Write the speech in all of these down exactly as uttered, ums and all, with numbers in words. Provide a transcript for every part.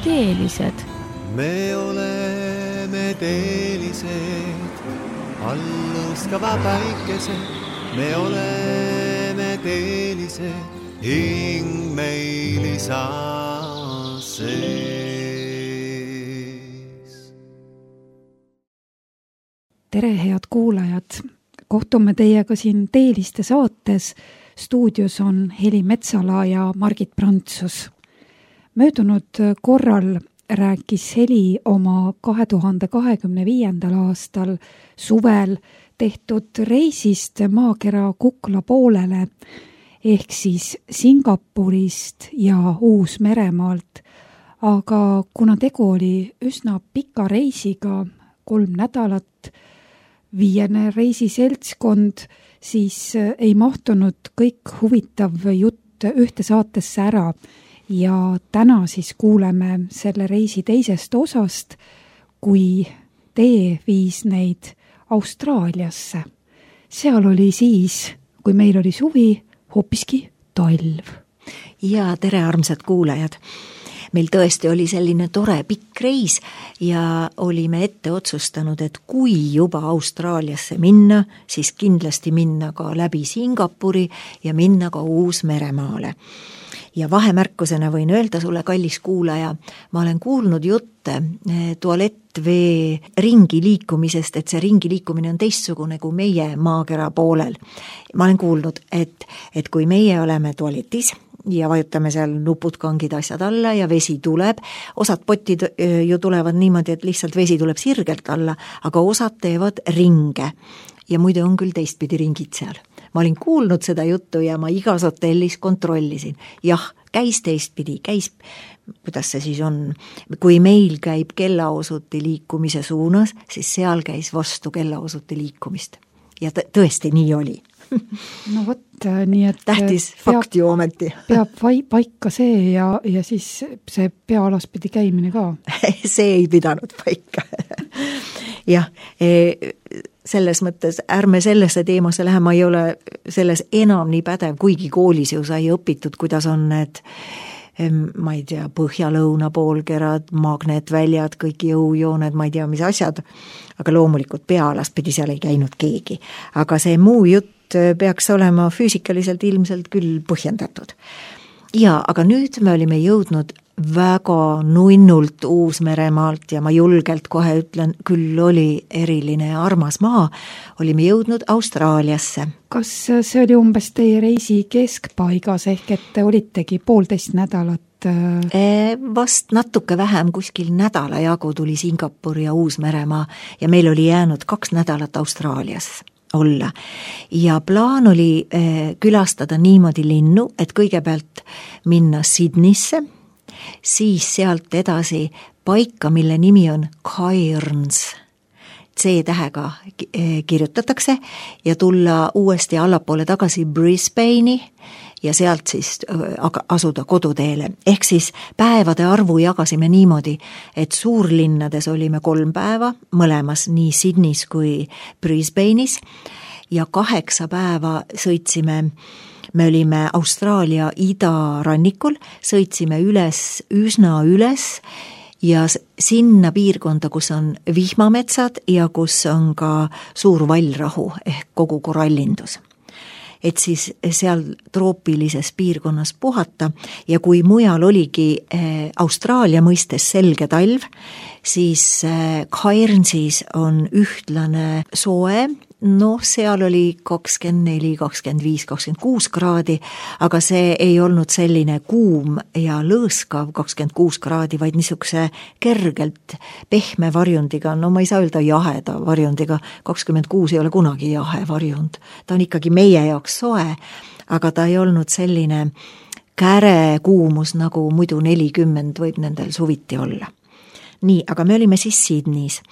teelised. Me oleme teelised, alluskava päikesed. Me oleme teelised, hing meil isa sees. Tere, head kuulajad! Kohtume teiega siin Teeliste saates. Stuudios on Heli Metsala ja Margit Prantsus. Möödunud korral rääkis Heli oma kahe tuhande kahekümne viiendal aastal suvel tehtud reisist maakera Kukla poolele ehk siis Singapurist ja Uus-Meremaalt. Aga kuna tegu oli üsna pika reisiga, kolm nädalat, viiene reisiseltskond, siis ei mahtunud kõik huvitav jutt ühte saatesse ära ja täna siis kuuleme selle reisi teisest osast, kui tee viis neid Austraaliasse. Seal oli siis, kui meil oli suvi, hoopiski talv. Ja tere, armsad kuulajad! Meil tõesti oli selline tore pikk reis ja olime ette otsustanud, et kui juba Austraaliasse minna, siis kindlasti minna ka läbi Singapuri ja minna ka Uus-Meremaale. Ja vahemärkusena võin öelda sulle, kallis kuulaja, ma olen kuulnud jutte tualettvee ringi liikumisest, et see ringi liikumine on teistsugune kui meie maakera poolel. Ma olen kuulnud, et, et kui meie oleme tualetis ja vajutame seal nupud, kangid, asjad alla ja vesi tuleb, osad potid ju tulevad niimoodi, et lihtsalt vesi tuleb sirgelt alla, aga osad teevad ringe ja muide on küll teistpidi ringid seal. Ma olin kuulnud seda juttu ja ma igas hotellis kontrollisin. Jah, käis teistpidi, käis, kuidas see siis on, kui meil käib kellaosuti liikumise suunas, siis seal käis vastu kellaosuti liikumist. Ja tõesti nii oli. No vot, nii et tähtis peab, fakt ju ometi. Peab vai, paika see ja, ja siis see pealaspidi käimine ka. See ei pidanud paika. Jah, selles mõttes ärme sellesse teemasse lähe, ma ei ole selles enam nii pädev, kuigi koolis ju sai õpitud, kuidas on need, ma ei tea, põhja-lõuna poolkerad, magnetväljad, kõik jõujooned, ma ei tea, mis asjad, aga loomulikult pealaspidi seal ei käinud keegi. Aga see muu jutt peaks olema füüsikaliselt ilmselt küll põhjendatud. Ja, aga nüüd me olime jõudnud väga nunnult Uus-Meremaalt ja ma julgelt kohe ütlen, küll oli eriline ja armas maa, olime jõudnud Austraaliasse. Kas see oli umbes teie reisi keskpaigas ehk et te olitegi poolteist nädalat? Vast natuke vähem, kuskil nädala jagu tuli Singapur ja Uus-Meremaa ja meil oli jäänud kaks nädalat Austraalias olla. Ja plaan oli külastada niimoodi linnu, et kõigepealt minna Sydneysse, siis sealt edasi paika, mille nimi on Cairns. C-tähega kirjutatakse ja tulla uuesti allapoole tagasi Brisbane'i ja sealt siis asuda koduteele. Ehk siis päevade arvu jagasime niimoodi, et suurlinnades olime kolm päeva, mõlemas nii Sydneys kui Brisbane'is ja kaheksa päeva sõitsime. Me olime Austraalia idarannikul, sõitsime üles, üsna üles ja sinna piirkonda, kus on vihmametsad ja kus on ka suur vallrahu ehk kogu korallindus. Et siis seal troopilises piirkonnas puhata ja kui mujal oligi Austraalia mõistes selge talv, siis Cairnsis on ühtlane soe, noh, seal oli kakskümmend neli, kakskümmend viis, kakskümmend kuus kraadi, aga see ei olnud selline kuum ja lõõskav kakskümmend kuus kraadi, vaid niisuguse kergelt pehme varjundiga, no ma ei saa öelda jaheda varjundiga, kakskümmend kuus ei ole kunagi jahe varjund, ta on ikkagi meie jaoks soe, aga ta ei olnud selline käre kuumus, nagu muidu nelikümmend võib nendel suviti olla. Nii, aga me olime siis Sydneys.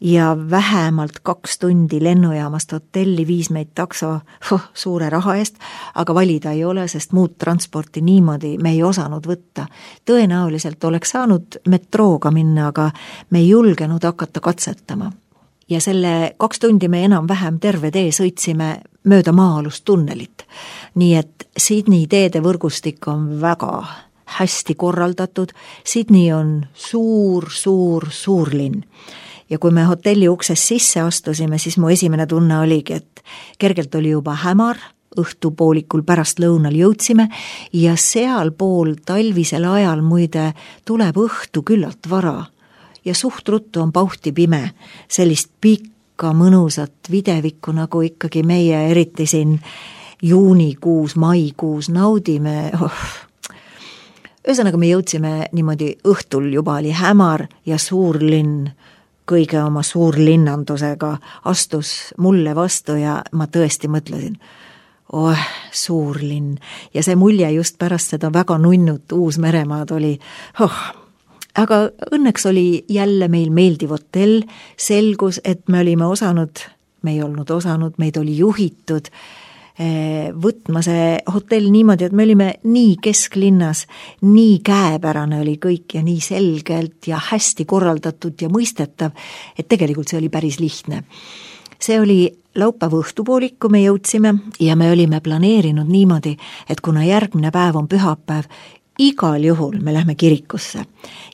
Ja vähemalt kaks tundi lennujaamast hotelli viis meid takso huh, suure raha eest, aga valida ei ole, sest muud transporti niimoodi me ei osanud võtta. Tõenäoliselt oleks saanud metrooga minna, aga me ei julgenud hakata katsetama. Ja selle kaks tundi me enam vähem terve tee sõitsime mööda maa-alust tunnelit. Nii et Sydney teede võrgustik on väga hästi korraldatud. Sydney on suur, suur, suur linn. Ja kui me hotelli ukses sisse astusime, siis mu esimene tunne oligi, et kergelt oli juba hämar, õhtupoolikul pärast lõunal jõudsime ja sealpool talvisel ajal muide tuleb õhtu küllalt vara ja suht ruttu on pauhti pime, sellist pikka mõnusat videvikku, nagu ikkagi meie eriti siin juunikuus, maikuus naudime. Oh. Ühesõnaga me jõudsime niimoodi õhtul, juba oli hämar ja suur linn kõige oma suurlinnandusega astus mulle vastu ja ma tõesti mõtlesin, oh, suur linn. Ja see mulje just pärast seda väga nunnut Uus-Meremaad oli, oh, aga õnneks oli jälle meil meeldiv hotell, selgus, et me olime osanud, me ei olnud osanud, meid oli juhitud võtma see hotell niimoodi, et me olime nii kesklinnas, nii käepärane oli kõik ja nii selgelt ja hästi korraldatud ja mõistetav, et tegelikult see oli päris lihtne. See oli laupäeva õhtupoolik, kui me jõudsime ja me olime planeerinud niimoodi, et kuna järgmine päev on pühapäev, igal juhul me lähme kirikusse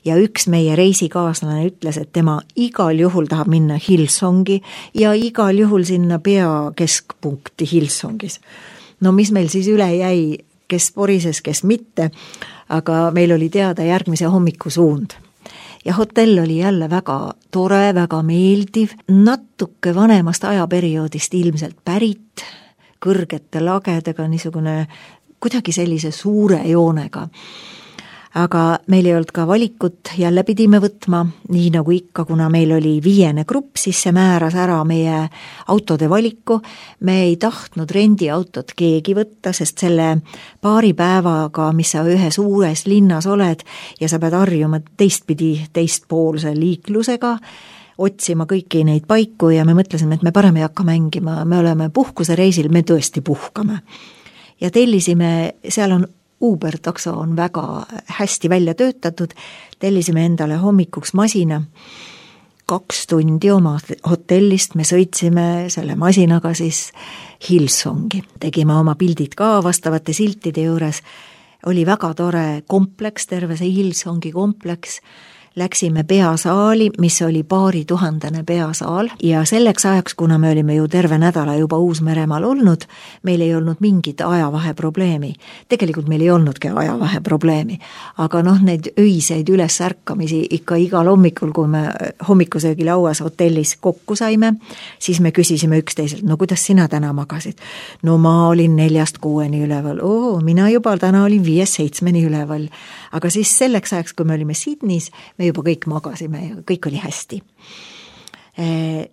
ja üks meie reisikaaslane ütles, et tema igal juhul tahab minna Hillsongi ja igal juhul sinna peakeskpunkti Hillsongis. No mis meil siis üle jäi, kes porises, kes mitte, aga meil oli teada järgmise hommiku suund. Ja hotell oli jälle väga tore, väga meeldiv, natuke vanemast ajaperioodist ilmselt pärit, kõrgete lagedega, niisugune kuidagi sellise suure joonega. Aga meil ei olnud ka valikut, jälle pidime võtma, nii nagu ikka, kuna meil oli viiene grupp, siis see määras ära meie autode valiku. Me ei tahtnud rendiautot keegi võtta, sest selle paari päevaga, mis sa ühes uures linnas oled ja sa pead harjuma teistpidi teistpoolse liiklusega, otsima kõiki neid paiku ja me mõtlesime, et me parem ei hakka mängima, me oleme puhkuse reisil, me tõesti puhkame. Ja tellisime, seal on Uber takso on väga hästi välja töötatud, tellisime endale hommikuks masina, kaks tundi oma hotellist, me sõitsime selle masinaga siis Hillsongi. Tegime oma pildid ka vastavate siltide juures, oli väga tore kompleks, terve see Hillsongi kompleks. Läksime peasaali, mis oli paari tuhandene peasaal ja selleks ajaks, kuna me olime ju terve nädala juba Uus-Meremaal olnud, meil ei olnud mingit ajavahe probleemi. Tegelikult meil ei olnudki ajavahe probleemi, aga noh, neid öiseid üles ärkamisi ikka igal hommikul, kui me hommikusöögi lauas hotellis kokku saime, siis me küsisime üksteiselt, no kuidas sina täna magasid? No ma olin neljast kuueni üleval, oo, mina juba täna olin viies seitsmeni üleval, aga siis selleks ajaks, kui me olime Sydneys, me juba kõik magasime ja kõik oli hästi.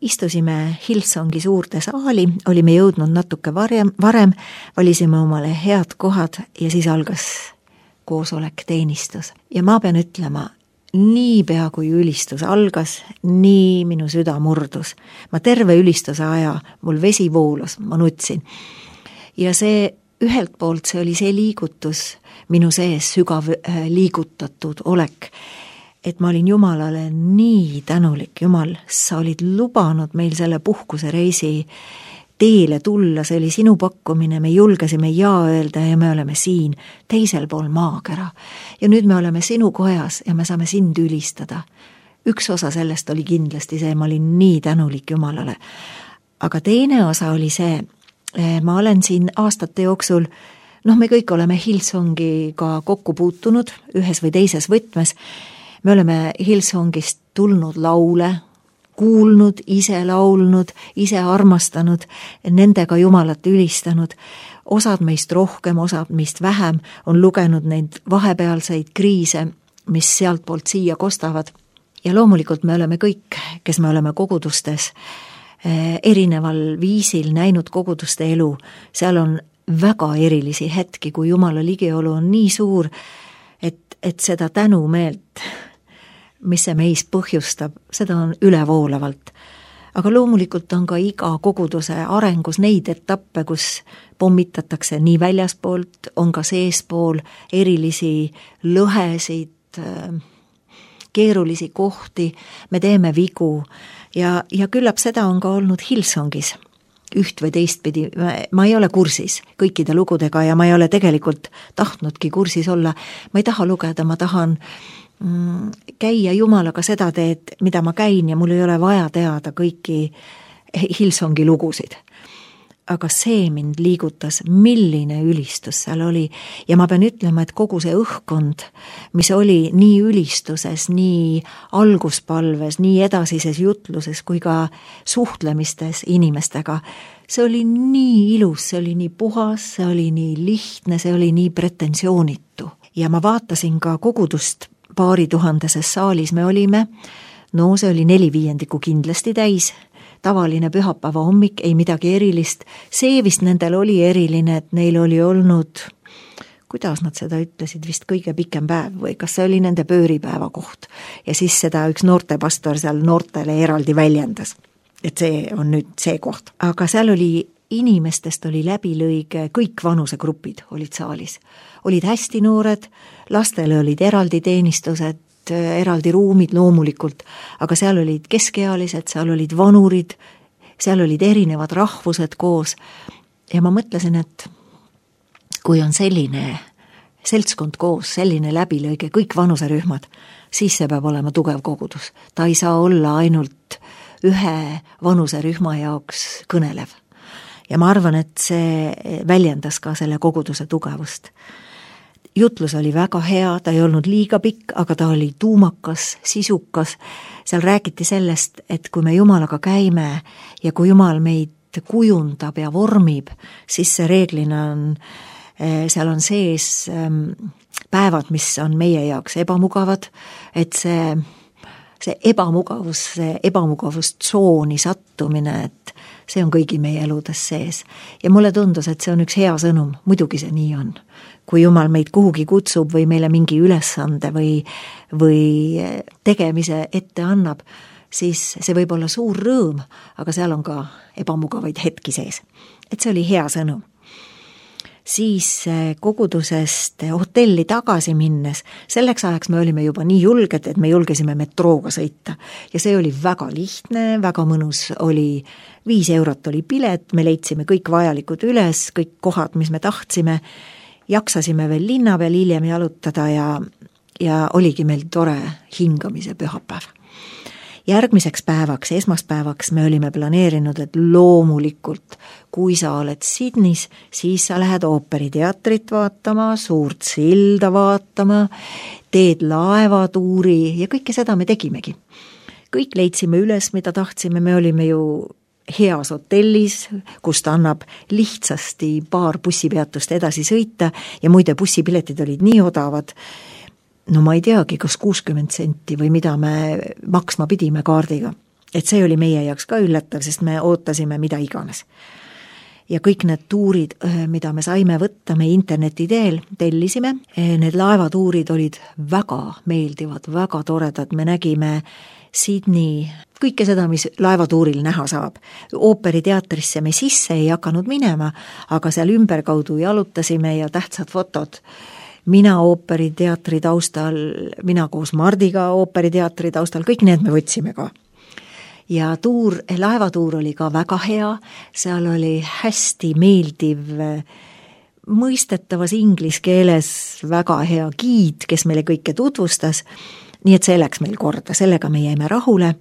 Istusime Hillsongi suurde saali, olime jõudnud natuke varem, varem, valisime omale head kohad ja siis algas koosolek, teenistus. Ja ma pean ütlema, nii pea kui ülistus algas, nii minu süda murdus. Ma terve ülistuse aja, mul vesi voolus, ma nutsin. Ja see ühelt poolt see oli see liigutus, minu sees sügav liigutatud olek, et ma olin Jumalale nii tänulik, Jumal, sa olid lubanud meil selle puhkuse reisi teele tulla, see oli sinu pakkumine, me julgesime jaa öelda ja me oleme siin, teisel pool maakera. Ja nüüd me oleme sinu kojas ja me saame sind ülistada. Üks osa sellest oli kindlasti see, ma olin nii tänulik Jumalale. Aga teine osa oli see, ma olen siin aastate jooksul, noh, me kõik oleme Hillsongiga kokku puutunud ühes või teises võtmes. Me oleme Hillsongist tulnud laule, kuulnud, ise laulnud, ise armastanud, nendega Jumalat ülistanud. Osad meist rohkem, osad meist vähem on lugenud neid vahepealseid kriise, mis sealt poolt siia kostavad. Ja loomulikult me oleme kõik, kes me oleme kogudustes, erineval viisil näinud koguduste elu. Seal on väga erilisi hetki, kui Jumala ligiolu on nii suur, et, et seda tänumeelt, mis see meis põhjustab, seda on ülevoolavalt. Aga loomulikult on ka iga koguduse arengus neid etappe, kus pommitatakse nii väljaspoolt, on ka seespool erilisi lõhesid, keerulisi kohti, me teeme vigu ja, ja küllap seda on ka olnud Hillsongis. üht või teistpidi, ma ei ole kursis kõikide lugudega ja ma ei ole tegelikult tahtnudki kursis olla. Ma ei taha lugeda, ma tahan mm, käia Jumalaga seda teed, mida ma käin ja mul ei ole vaja teada kõiki Hillsongi lugusid. Aga see mind liigutas, milline ülistus seal oli ja ma pean ütlema, et kogu see õhkkond, mis oli nii ülistuses, nii alguspalves, nii edasises jutluses kui ka suhtlemistes inimestega, see oli nii ilus, see oli nii puhas, see oli nii lihtne, see oli nii pretensioonitu. Ja ma vaatasin ka kogudust paari tuhandeses saalis me olime, no see oli neli viiendikku kindlasti täis, tavaline pühapäeva hommik, ei midagi erilist. See vist nendel oli eriline, et neil oli olnud, kuidas nad seda ütlesid, vist kõige pikem päev või kas see oli nende pööripäeva koht. Ja siis seda üks noortepastor seal noortele eraldi väljendas, et see on nüüd see koht. Aga seal oli inimestest oli läbilõige, kõik vanusegrupid olid saalis. Olid hästi noored, lastele olid eraldi teenistused, eraldi ruumid loomulikult, aga seal olid keskealised, seal olid vanurid, seal olid erinevad rahvused koos ja ma mõtlesin, et kui on selline seltskond koos, selline läbilõige, kõik vanuserühmad, siis see peab olema tugev kogudus. Ta ei saa olla ainult ühe vanuserühma jaoks kõnelev. Ja ma arvan, et see väljendas ka selle koguduse tugevust. Jutlus oli väga hea, ta ei olnud liiga pikk, aga ta oli tuumakas, sisukas. Seal räägiti sellest, et kui me Jumalaga käime ja kui Jumal meid kujundab ja vormib, siis see reeglina on, seal on sees päevad, mis on meie jaoks ebamugavad, et see, see ebamugavus, see ebamugavustsooni sattumine, et see on kõigi meie eludes sees. Ja mulle tundus, et see on üks hea sõnum, muidugi see nii on. Kui Jumal meid kuhugi kutsub või meile mingi ülesande või, või tegemise ette annab, siis see võib olla suur rõõm, aga seal on ka ebamugavaid hetki sees. Et see oli hea sõnum. Siis kogudusest hotelli tagasi minnes, selleks ajaks me olime juba nii julged, et me julgesime metrooga sõita. Ja see oli väga lihtne, väga mõnus oli, viis eurot oli pilet, me leidsime kõik vajalikud üles, kõik kohad, mis me tahtsime, jaksasime veel linna peal hiljem jalutada ja, ja oligi meil tore hingamise pühapäev. Järgmiseks päevaks, esmaspäevaks me olime planeerinud, et loomulikult, kui sa oled Sydneys, siis sa lähed ooperiteatrit vaatama, suurt silda vaatama, teed laevatuuri ja kõike seda me tegimegi. Kõik leidsime üles, mida tahtsime, me olime ju heas hotellis, kust annab lihtsasti paar bussipeatust edasi sõita ja muide bussipiletid olid nii odavad, no ma ei teagi, kas kuuskümmend senti või mida me maksma pidime kaardiga. Et see oli meie jaoks ka üllatav, sest me ootasime mida iganes. Ja kõik need tuurid, mida me saime võtta, me interneti teel tellisime, need laevatuurid olid väga meeldivad, väga toredad, me nägime Sydney, kõike seda, mis laevatuuril näha saab. Ooperiteatrisse me sisse ei hakanud minema, aga seal ümberkaudu jalutasime ja tähtsad fotod. Mina ooperiteatri taustal, mina koos Mardiga ooperiteatri taustal, kõik need me võtsime ka. Ja tuur, laevatuur oli ka väga hea, seal oli hästi meeldiv, mõistetavas inglise keeles väga hea giid, kes meile kõike tutvustas, nii et see läks meil korda, sellega me jäime rahule.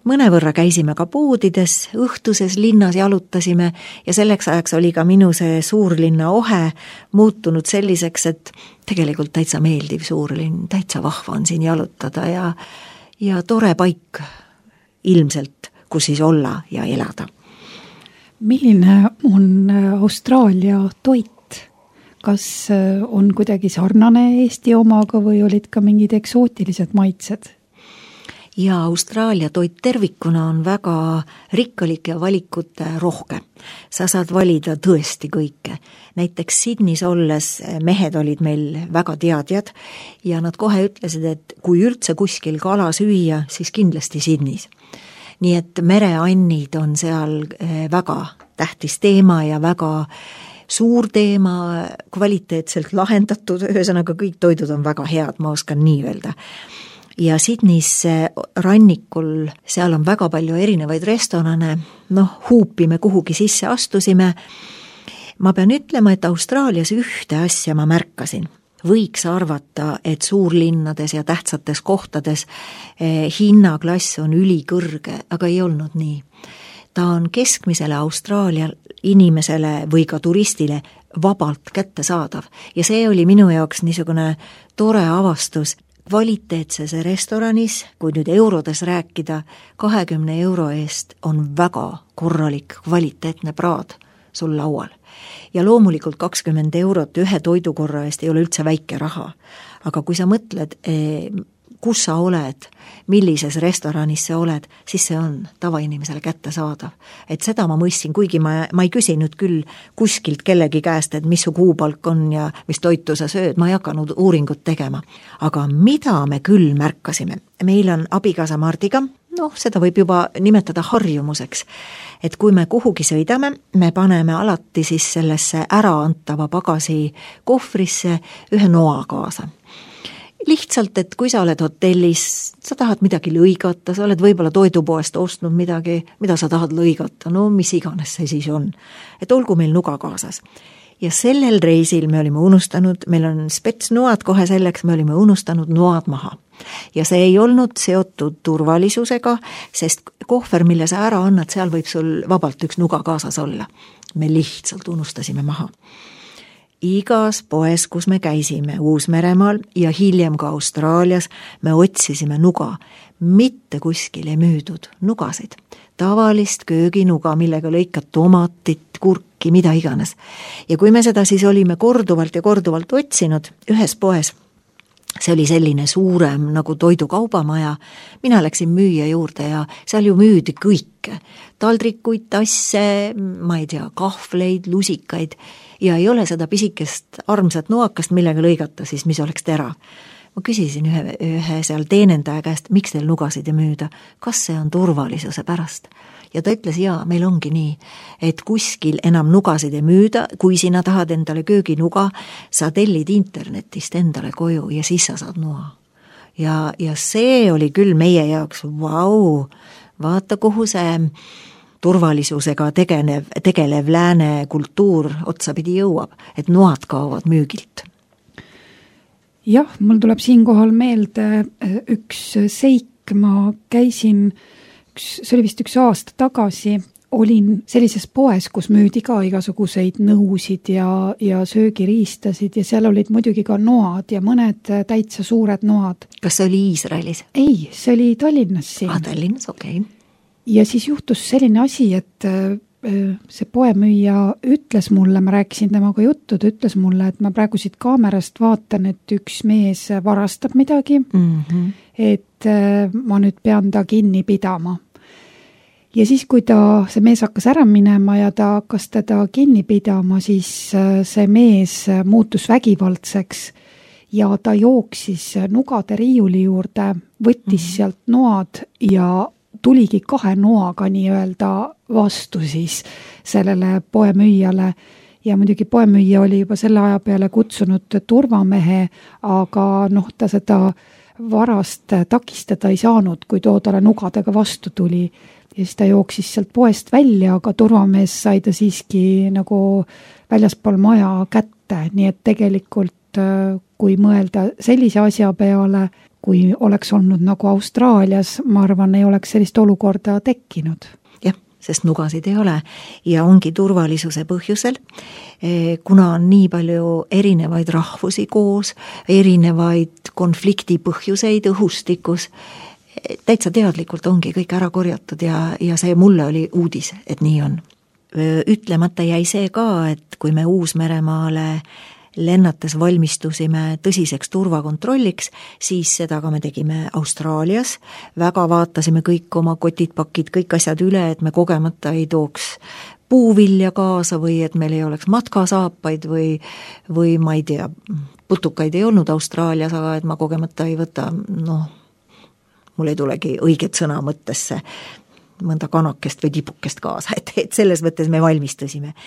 Mõnevõrra käisime ka poodides, õhtuses linnas jalutasime ja selleks ajaks oli ka minu see suurlinna ohe muutunud selliseks, et tegelikult täitsa meeldiv suurlinn, täitsa vahva on siin jalutada ja, ja tore paik ilmselt, kus siis olla ja elada. Milline on Austraalia toit? Kas on kuidagi sarnane Eesti omaga või olid ka mingid eksootilised maitsed? Ja Austraalia toit tervikuna on väga rikkalik ja valikute rohke. Sa saad valida tõesti kõike. Näiteks Sydneys olles mehed olid meil väga teadjad ja nad kohe ütlesid, et kui üldse kuskil kala süüa, siis kindlasti Sydneys. Nii et mereannid on seal väga tähtis teema ja väga suur teema, kvaliteetselt lahendatud, ühesõnaga kõik toidud on väga head, ma oskan nii öelda. ja Sydneys rannikul, seal on väga palju erinevaid restorane, noh, huupi me kuhugi sisse astusime. Ma pean ütlema, et Austraalias ühte asja ma märkasin. Võiks arvata, et suurlinnades ja tähtsates kohtades eh, hinnaklass on ülikõrge, aga ei olnud nii. Ta on keskmisele Austraalia inimesele või ka turistile vabalt kättesaadav ja see oli minu jaoks niisugune tore avastus. Kvaliteetses restoranis, kui nüüd eurodes rääkida, kahekümne euro eest on väga korralik kvaliteetne praad sul laual. Ja loomulikult kakskümmend eurot ühe toidukorra eest ei ole üldse väike raha. Aga kui sa mõtled, kus sa oled, millises restoranis sa oled, siis see on tavainimesele kättesaadav. Et seda ma mõistsin, kuigi ma, ma ei küsinud küll kuskilt kellegi käest, et mis su kuupalk on ja mis toitu sa sööd, ma ei hakanud uuringut tegema. Aga mida me küll märkasime? Meil on abikaasa Mardiga, noh, seda võib juba nimetada harjumuseks, et kui me kuhugi sõidame, me paneme alati siis sellesse äraantava pagasi kohvrisse ühe noa kaasa. Lihtsalt, et kui sa oled hotellis, sa tahad midagi lõigata, sa oled võib-olla toidupoest ostnud midagi, mida sa tahad lõigata, no mis iganes see siis on. Et olgu meil nuga kaasas. Ja sellel reisil me olime unustanud, meil on spetsnoad kohe selleks, me olime unustanud noad maha. Ja see ei olnud seotud turvalisusega, sest kohver, mille sa ära annad, seal võib sul vabalt üks nuga kaasas olla. Me lihtsalt unustasime maha. Igas poes, kus me käisime Uus-Meremaal ja hiljem ka Austraalias, me otsisime nuga. Mitte kuskil ei müüdud nugasid. Tavalist kööginuga, millega lõikad tomatit, kurki, mida iganes. Ja kui me seda siis olime korduvalt ja korduvalt otsinud ühes poes, see oli selline suurem nagu toidukaubamaja, mina läksin müüja juurde ja seal ju müüdi kõike. Taldrikuid, tasse, ma ei tea, kahvleid, lusikaid ja ei ole seda pisikest armsat noakast, millega lõigata siis, mis oleks tera. Ma küsisin ühe, ühe seal teenendaja käest, miks teil nugasid ei müüda, kas see on turvalisuse pärast. Ja ta ütles, jaa, meil ongi nii, et kuskil enam nugasid ei müüda, kui sina tahad endale kööginuga, sa tellid internetist endale koju ja siis sa saad noa. Ja, ja see oli küll meie jaoks, vau, vaata kuhu see turvalisusega tegelev, tegelev lääne kultuur otsapidi jõuab, et noad kaovad müügilt. Jah, mul tuleb siinkohal meelde üks seik, ma käisin see oli vist üks aasta tagasi, olin sellises poes, kus müüdi ka igasuguseid nõusid ja, ja söögiriistasid ja seal olid muidugi ka noad ja mõned täitsa suured noad. Kas see oli Iisraelis? Ei, see oli Tallinnas siin. Ah, Tallinnas, okei. Okay. Ja siis juhtus selline asi, et see poemüüja ütles mulle, ma rääkisin temaga juttu, ta ütles mulle, et ma praegu siit kaamerast vaatan, et üks mees varastab midagi, mm-hmm. et ma nüüd pean ta kinni pidama. Ja siis, kui ta, see mees hakkas ära minema ja ta hakkas teda kinni pidama, siis see mees muutus vägivaldseks ja ta jooksis nugade riiuli juurde, võttis mm-hmm. sealt noad ja tuligi kahe noaga nii-öelda vastu siis sellele poemüüjale ja muidugi poemüüja oli juba selle aja peale kutsunud turvamehe, aga noh, ta seda varast takistada ei saanud, kui too talle nugadega vastu tuli ja siis ta jooksis sealt poest välja, aga turvamees sai ta siiski nagu väljaspool maja kätte, nii et tegelikult kui mõelda sellise asja peale, kui oleks olnud nagu Austraalias, ma arvan, ei oleks sellist olukorda tekkinud. Jah, sest nugasid ei ole ja ongi turvalisuse põhjusel, kuna on nii palju erinevaid rahvusi koos, erinevaid konflikti põhjuseid õhustikus, täitsa teadlikult ongi kõik ära korjatud ja, ja see mulle oli uudis, et nii on. Ütlemata jäi see ka, et kui me Uus-Meremaale lennates valmistusime tõsiseks turvakontrolliks, siis seda ka me tegime Austraalias, väga vaatasime kõik oma kotid, pakid, kõik asjad üle, et me kogemata ei tooks puuvilja kaasa või et meil ei oleks matkasaapaid või, või ma ei tea, putukaid ei olnud Austraalias, aga et ma kogemata ei võta, noh, mul ei tulegi õiget sõna mõttesse mõnda kanakest või tipukest kaasa, et, et selles mõttes me valmistusime.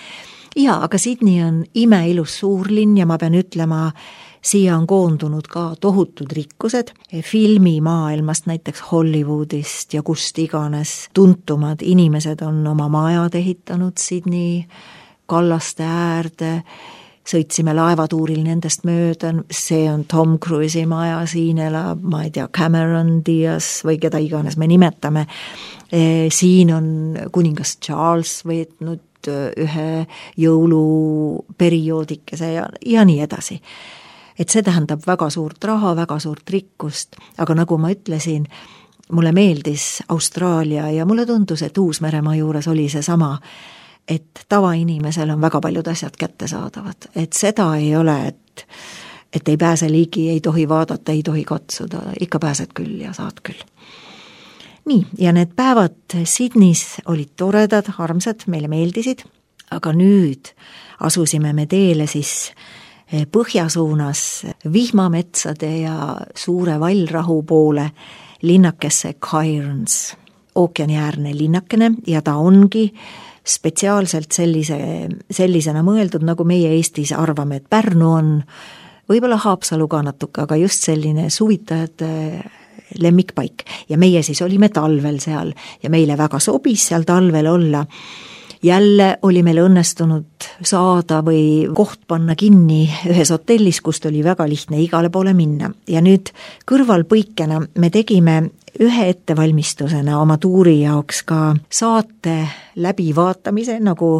Jaa, aga Sydney on imeilus suurlinn ja ma pean ütlema, siia on koondunud ka tohutud rikkused filmimaailmast, näiteks Hollywoodist ja kust iganes tuntumad inimesed on oma majad ehitanud Sydney kallaste äärde, sõitsime laevatuuril nendest mööda, see on Tom Cruise'i maja, siin elab, ma ei tea, Cameron Diaz või keda iganes me nimetame, siin on kuningas Charles võetnud ühe jõuluperioodikese ja, ja nii edasi. Et see tähendab väga suurt raha, väga suurt rikkust, aga nagu ma ütlesin, mulle meeldis Austraalia ja mulle tundus, et Uus-Meremaa juures oli see sama, et tavainimesel on väga paljud asjad kättesaadavad, et seda ei ole, et, et ei pääse ligi, ei tohi vaadata, ei tohi katsuda, ikka pääsed küll ja saad küll. Nii, ja need päevad Sydneys olid toredad, armsad, meile meeldisid, aga nüüd asusime me teele siis põhjasuunas vihmametsade ja suure vallrahu poole linnakesse Cairns, ookeaniäärne linnakene ja ta ongi spetsiaalselt sellise, sellisena mõeldud, nagu meie Eestis arvame, et Pärnu on, võib-olla Haapsalu ka natuke, aga just selline suvitajate lemmikpaik. Ja meie siis olime talvel seal ja meile väga sobis seal talvel olla. Jälle oli meil õnnestunud saada või koht panna kinni ühes hotellis, kust oli väga lihtne igale poole minna. Ja nüüd kõrvalpõikena me tegime ühe ettevalmistusena oma tuuri jaoks ka saate läbivaatamise, nagu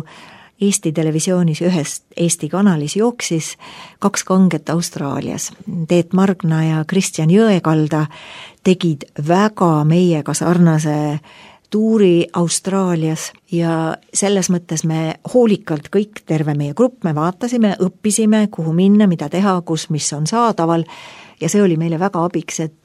Eesti televisioonis ühes Eesti kanalis jooksis kaks kanget Austraalias. Teet Margna ja Kristjan Jõekalda tegid väga meiega sarnase tuuri Austraalias ja selles mõttes me hoolikalt kõik, terve meie grupp, me vaatasime, õppisime, kuhu minna, mida teha, kus, mis on saadaval ja see oli meile väga abiks, et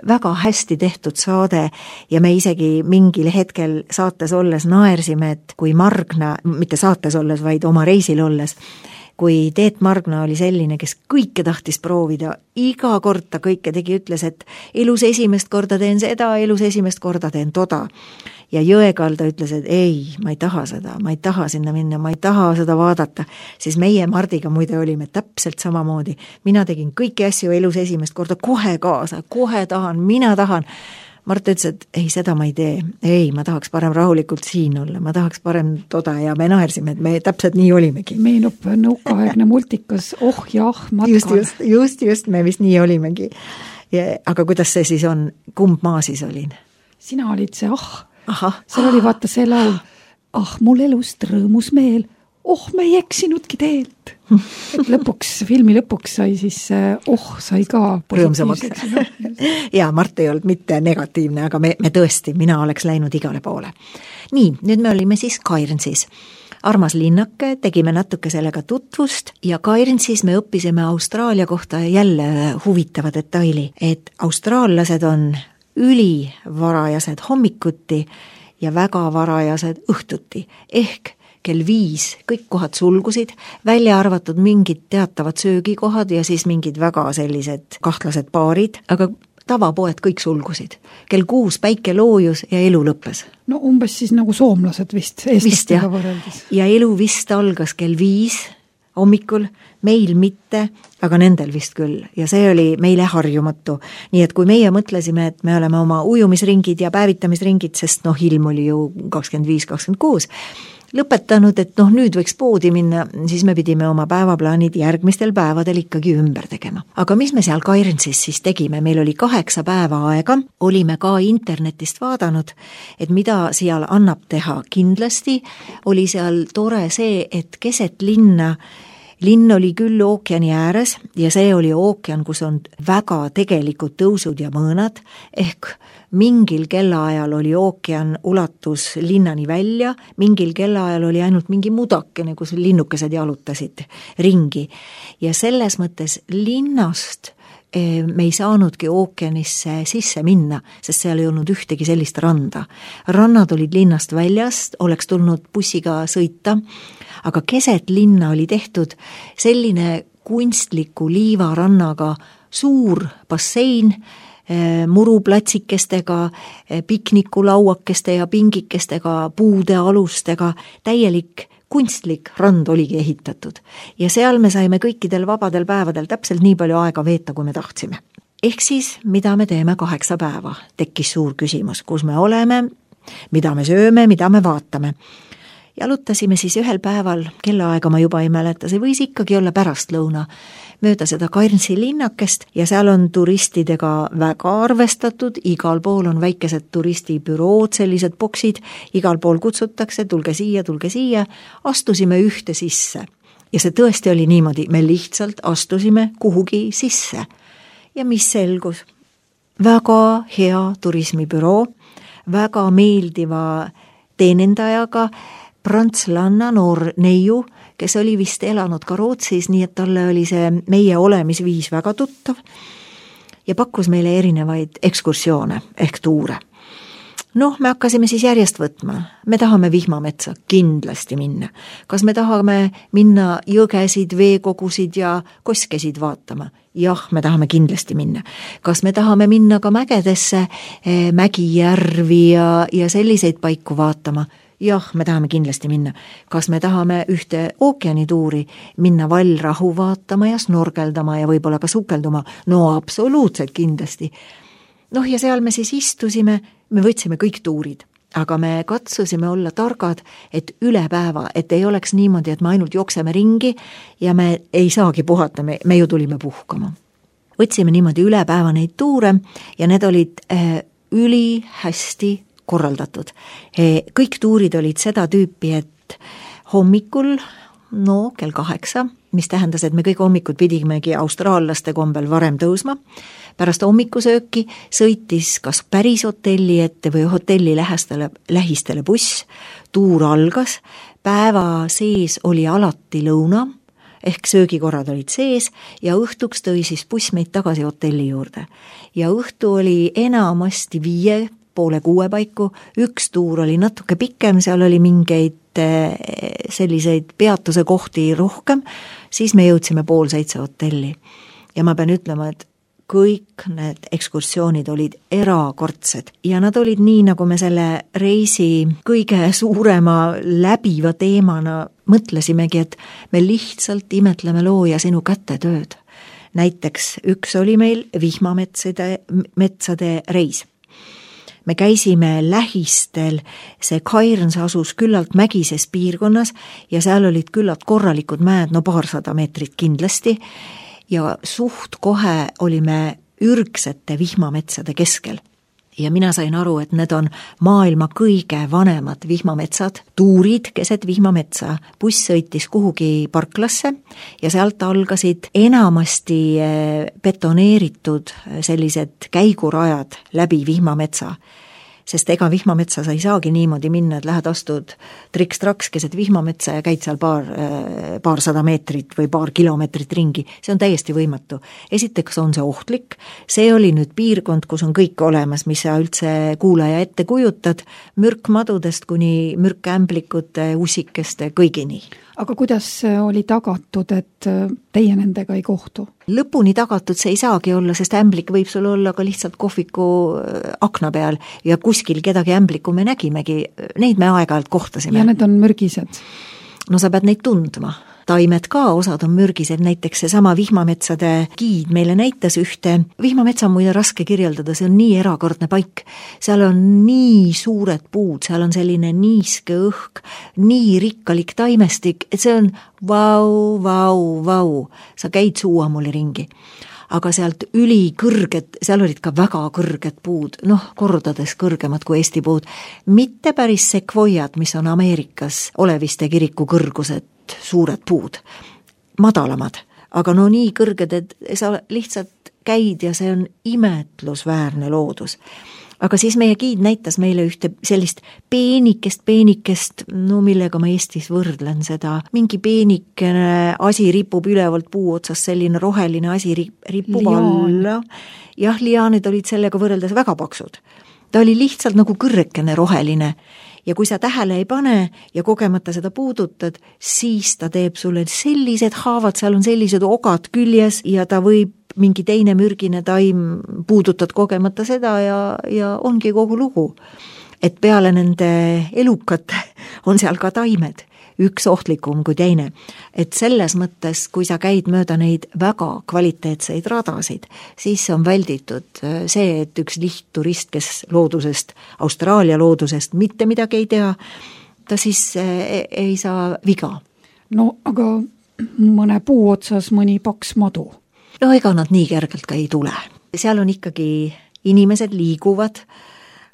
väga hästi tehtud saade ja me isegi mingil hetkel saates olles naersime, et kui Margna, mitte saates olles, vaid oma reisil olles, kui Teet Margna oli selline, kes kõike tahtis proovida, iga kord ta kõike tegi, ütles, et elus esimest korda teen seda, elus esimest korda teen toda. Ja Jõekalda ütles, et ei, ma ei taha seda, ma ei taha sinna minna, ma ei taha seda vaadata, siis meie Mardiga muide olime täpselt samamoodi. Mina tegin kõiki asju elus esimest korda kohe kaasa, kohe tahan, mina tahan. Mart ütles, et ei, seda ma ei tee, ei, ma tahaks parem rahulikult siin olla, ma tahaks parem toda ja me naersime, et me täpselt nii olimegi. Meenub nõukaaegne multikas Oh ja ah matkal. Just, just, just, just, me vist nii olimegi. Ja, aga kuidas see siis on, kumb ma siis olin? Sina olid see ah, Aha. seal oli vaata see laul, ah mul elust rõõmus meel, oh me ei eksinudki teelt. Et lõpuks, filmi lõpuks sai siis, oh sai ka positiivseks. Ja Mart ei olnud mitte negatiivne, aga me, me tõesti, mina oleks läinud igale poole. Nii, nüüd me olime siis Cairnsis. Armas linnake, tegime natuke sellega tutvust ja Cairnsis me õppisime Austraalia kohta jälle huvitava detaili, et austraallased on ülivarajased hommikuti ja väga varajased õhtuti, ehk kell viis kõik kohad sulgusid, välja arvatud mingid teatavad söögikohad ja siis mingid väga sellised kahtlased baarid, aga tavapoed kõik sulgusid. Kell kuus päike loojus ja elu lõppes. No umbes siis nagu soomlased vist, eestlastega võrreldes. Ja elu vist algas kell viis hommikul, meil mitte, aga nendel vist küll. Ja see oli meile harjumatu. Nii et kui meie mõtlesime, et me oleme oma ujumisringid ja päevitamisringid, sest noh, ilm oli ju kakskümmend viis kakskümmend kuus, lõpetanud, et noh, nüüd võiks poodi minna, siis me pidime oma päevaplaanid järgmistel päevadel ikkagi ümber tegema. Aga mis me seal Cairnsis siis tegime? Meil oli kaheksa päeva aega, olime ka internetist vaadanud, et mida seal annab teha. Kindlasti oli seal tore see, et keset linna linn oli küll ookeani ääres ja see oli ookean, kus on väga tegelikud tõusud ja mõõnad, ehk mingil kellaajal oli ookean ulatus linnani välja, mingil kellaajal oli ainult mingi mudakene, kus linnukesed jalutasid ringi. Ja selles mõttes linnast me ei saanudki ookeanisse sisse minna, sest seal ei olnud ühtegi sellist randa. Rannad olid linnast väljast, oleks tulnud bussiga sõita, aga keset linna oli tehtud selline kunstliku liivarannaga suur bassein, muruplatsikestega, piknikulauakeste ja pingikestega, puude alustega, täielik kunstlik rand oligi ehitatud ja seal me saime kõikidel vabadel päevadel täpselt nii palju aega veeta, kui me tahtsime. Ehk siis, mida me teeme kaheksa päeva, tekkis suur küsimus, kus me oleme, mida me sööme, mida me vaatame. Jalutasime siis ühel päeval, kellaaega ma juba ei mäleta, see võis ikkagi olla pärastlõuna, mööda seda Cairnsi linnakest ja seal on turistidega väga arvestatud, igal pool on väikesed turistibürood, sellised boksid, igal pool kutsutakse, tulge siia, tulge siia, astusime ühte sisse. Ja see tõesti oli niimoodi, me lihtsalt astusime kuhugi sisse. Ja mis selgus? Väga hea turismibüroo, väga meeldiva teenendajaga, prantslanna noor neiu, kes oli vist elanud ka Rootsis, nii et talle oli see meie olemisviis väga tuttav ja pakkus meile erinevaid ekskursioone ehk tuure. Noh, me hakkasime siis järjest võtma. Me tahame vihmametsa kindlasti minna. Kas me tahame minna jõgesid, veekogusid ja koskesid vaatama? Jah, me tahame kindlasti minna. Kas me tahame minna ka mägedesse, mägijärvi ja, ja selliseid paiku vaatama? Jah, me tahame kindlasti minna. Kas me tahame ühte ookeanituuri minna vallrahu vaatama ja snorkeldama ja võib-olla ka sukelduma? No absoluutselt kindlasti. Noh, ja seal me siis istusime, me võtsime kõik tuurid, aga me katsusime olla targad, et üle päeva, et ei oleks niimoodi, et me ainult jookseme ringi ja me ei saagi puhata, me, me ju tulime puhkama. Võtsime niimoodi üle päeva neid tuure ja need olid äh, üli hästi korraldatud. Kõik tuurid olid seda tüüpi, et hommikul, no kell kaheksa, mis tähendas, et me kõik hommikud pidimegi austraallaste kombel varem tõusma. Pärast hommikusööki sõitis kas päris hotelli ette või hotelli lähestele, lähistele buss, tuur algas, päeva sees oli alati lõuna, ehk söögikorrad olid sees ja õhtuks tõi siis buss meid tagasi hotelli juurde. Ja õhtu oli enamasti viie poole kuue paiku, üks tuur oli natuke pikem, seal oli mingeid selliseid peatuse kohti rohkem, siis me jõudsime pool seitse hotelli. Ja ma pean ütlema, et kõik need ekskursioonid olid erakordsed ja nad olid nii, nagu me selle reisi kõige suurema läbiva teemana mõtlesimegi, et me lihtsalt imetleme looja sinu kätetööd. Näiteks üks oli meil vihmametsade metsade reis. Me käisime lähistel, see Cairns asus küllalt mägises piirkonnas ja seal olid küllalt korralikud mäed, no paarsada meetrit kindlasti ja suht kohe olime ürgsete vihmametsade keskel. Ja mina sain aru, et need on maailma kõige vanemad vihmametsad, tuurid keset vihmametsa. Buss sõitis kuhugi parklasse ja sealt algasid enamasti betoneeritud sellised käigurajad läbi vihmametsa. Sest ega vihmametsa sa ei saagi niimoodi minna, et lähed astud triks-traks keset vihmametsa ja käid seal paar, paar sada meetrit või paar kilomeetrit ringi. See on täiesti võimatu. Esiteks on see ohtlik. See oli nüüd piirkond, kus on kõik olemas, mis sa üldse kuulaja ette kujutad, mürkmadudest kuni mürkämblikute, usikeste, kõigini. Aga kuidas oli tagatud, et teie nendega ei kohtu? Lõpuni tagatud see ei saagi olla, sest ämblik võib sul olla ka lihtsalt kohviku akna peal ja kuskil kedagi ämbliku me nägimegi, neid me aeg-ajalt kohtasime. Ja need on mürgised? No sa pead neid tundma. Taimed ka, osad on mürgised, näiteks see sama vihmametsade giid meile näitas ühte. Vihmametsa on muide raske kirjeldada, see on nii erakordne paik. Seal on nii suured puud, seal on selline niiske õhk, nii rikkalik taimestik, et see on vau, vau, vau. Sa käid suuamuli ringi. Aga sealt üli kõrged, seal olid ka väga kõrged puud, noh, kordades kõrgemad kui Eesti puud. Mitte päris sekvoiad, mis on Ameerikas Oleviste kiriku kõrgused, suured puud, madalamad, aga no nii kõrged, et sa lihtsalt käid ja see on imetlusväärne loodus. Aga siis meie giid näitas meile ühte sellist peenikest, peenikest, no millega ma Eestis võrdlen seda, mingi peenikene asi ripub ülevalt puu otsast, selline roheline asi ripub alla. Jah, liaanid olid sellega võrreldes väga paksud. Ta oli lihtsalt nagu kõrrekene roheline. Ja kui sa tähele ei pane ja kogemata seda puudutad, siis ta teeb sulle sellised haavad, seal on sellised ogad küljes ja ta võib mingi teine mürgine taim puudutad kogemata seda ja, ja ongi kogu lugu. Et peale nende elukate on seal ka taimed. üks ohtlikum kui teine. Et selles mõttes, kui sa käid mööda neid väga kvaliteetseid radasid, siis on välditud see, et üks lihtturist, kes loodusest, Austraalia loodusest mitte midagi ei tea, ta siis ei saa viga. No aga mõne puu otsas mõni paks madu. No ega nad nii kergelt ka ei tule. Seal on ikkagi inimesed liiguvad,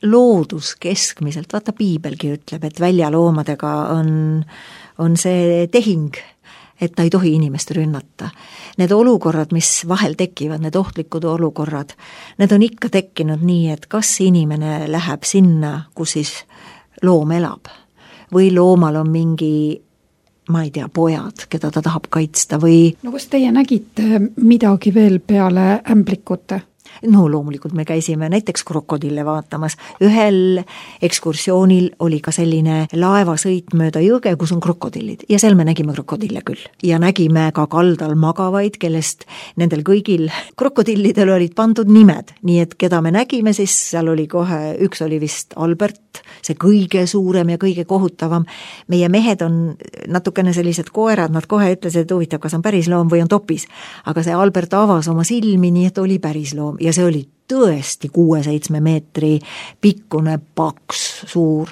loodus keskmiselt, vaata piibelgi ütleb, et väljaloomadega on, on see tehing, et ta ei tohi inimest rünnata. Need olukorrad, mis vahel tekivad, need ohtlikud olukorrad, need on ikka tekkinud nii, et kas inimene läheb sinna, kus siis loom elab või loomal on mingi, ma ei tea, pojad, keda ta tahab kaitsta või... No kas teie nägite midagi veel peale ämblikute? No loomulikult me käisime näiteks krokodille vaatamas. Ühel ekskursioonil oli ka selline laevasõit mööda jõge, kus on krokodillid. Ja seal me nägime krokodille küll. Ja nägime ka kaldal magavaid, kellest nendel kõigil krokodillidel olid pandud nimed. Nii et keda me nägime, siis seal oli kohe, üks oli vist Albert, see kõige suurem ja kõige kohutavam. Meie mehed on natukene sellised koerad, nad kohe ütlesid, et huvitav, kas on päris loom või on topis. Aga see Albert avas oma silmi, nii et oli päris loom. Ja see oli tõesti kuue-seitsme meetri pikkune, paks, suur.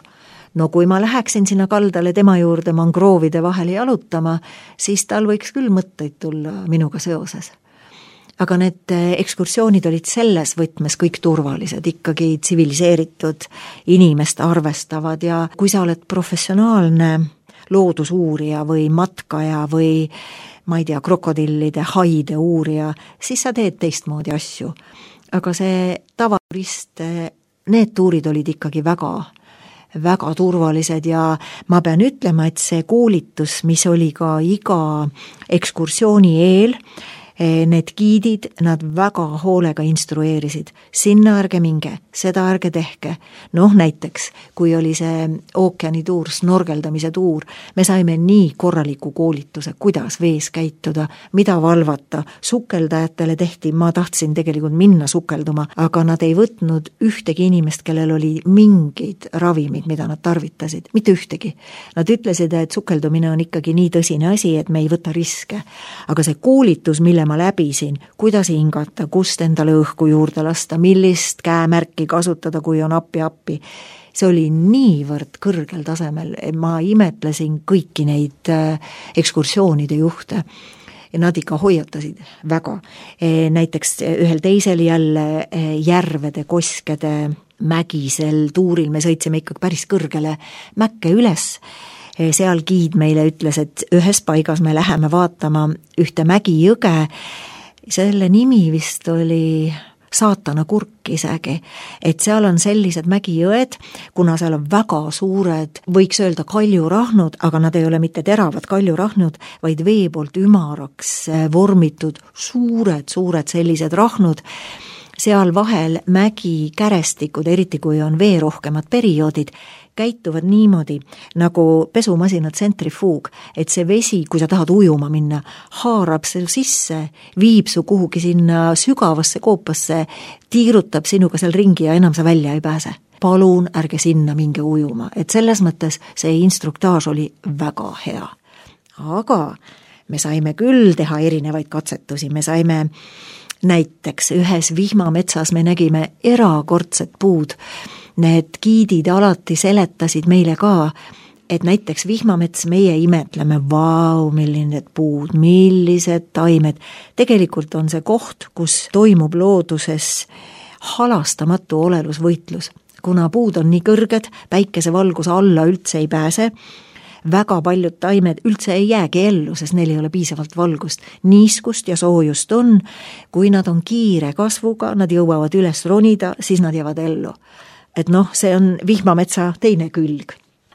No kui ma läheksin sinna kaldale tema juurde mangroovide vahele jalutama, siis tal võiks küll mõtteid tulla minuga seoses. Aga need ekskursioonid olid selles võtmes kõik turvalised, ikkagi tsiviliseeritud, inimest arvestavad ja kui sa oled professionaalne loodusuurija või matkaja või ma ei tea, krokodillide, haide uurija, siis sa teed teistmoodi asju. Aga see tavarist, need tuurid olid ikkagi väga, väga turvalised ja ma pean ütlema, et see koolitus, mis oli ka iga ekskursiooni eel, need giidid, nad väga hoolega instrueerisid. Sinna ärge minge, seda ärge tehke. Noh, näiteks, kui oli see ookeanituur, snorgeldamise tuur, me saime nii korraliku koolituse, kuidas vees käituda, mida valvata. Sukeldajatele tehti, ma tahtsin tegelikult minna sukelduma, aga nad ei võtnud ühtegi inimest, kellel oli mingid ravimid, mida nad tarvitasid. Mitte ühtegi. Nad ütlesid, et sukeldumine on ikkagi nii tõsine asi, et me ei võta riske. Aga see koolitus, mille ma läbisin, kuidas hingata, kust endale õhku juurde lasta, millist käemärki kasutada, kui on appi-appi. See oli niivõrd kõrgel tasemel, ma imetlesin kõiki neid ekskursioonide juhte. Ja nad ikka hoiatasid väga. Näiteks ühel teisel jälle järvede, koskede, mägisel tuuril me sõitsime ikkagi päris kõrgele mäkke üles. Seal giid meile ütles, et ühes paigas me läheme vaatama ühte mägijõge. Selle nimi vist oli saatana kurk isegi, et seal on sellised mägijõed, kuna seal on väga suured, võiks öelda kaljurahnud, aga nad ei ole mitte teravad kaljurahnud, vaid vee poolt ümaraks vormitud suured, suured sellised rahnud. Seal vahel mägi kärestikud, eriti kui on veerohkemad perioodid, käituvad niimoodi nagu pesumasinad tsentrifuug, et see vesi, kui sa tahad ujuma minna, haarab su sisse, viib su kuhugi sinna sügavasse koopasse, tiirutab sinuga seal ringi ja enam sa välja ei pääse. Palun ärge sinna minge ujuma, et selles mõttes see instruktaaž oli väga hea. Aga me saime küll teha erinevaid katsetusi, me saime näiteks ühes vihmametsas me nägime erakordset puud. Need giidid alati seletasid meile ka, et näiteks vihmamets meie imetleme, vau, millised puud, millised taimed. Tegelikult on see koht, kus toimub looduses halastamatu olelusvõitlus. Kuna puud on nii kõrged, päikesevalguse alla üldse ei pääse, väga paljud taimed üldse ei jäägi ellu, sest neil ei ole piisavalt valgust. Niiskust ja soojust on, kui nad on kiire kasvuga, nad jõuavad üles ronida, siis nad jäävad ellu. Et noh, see on vihmametsa teine külg.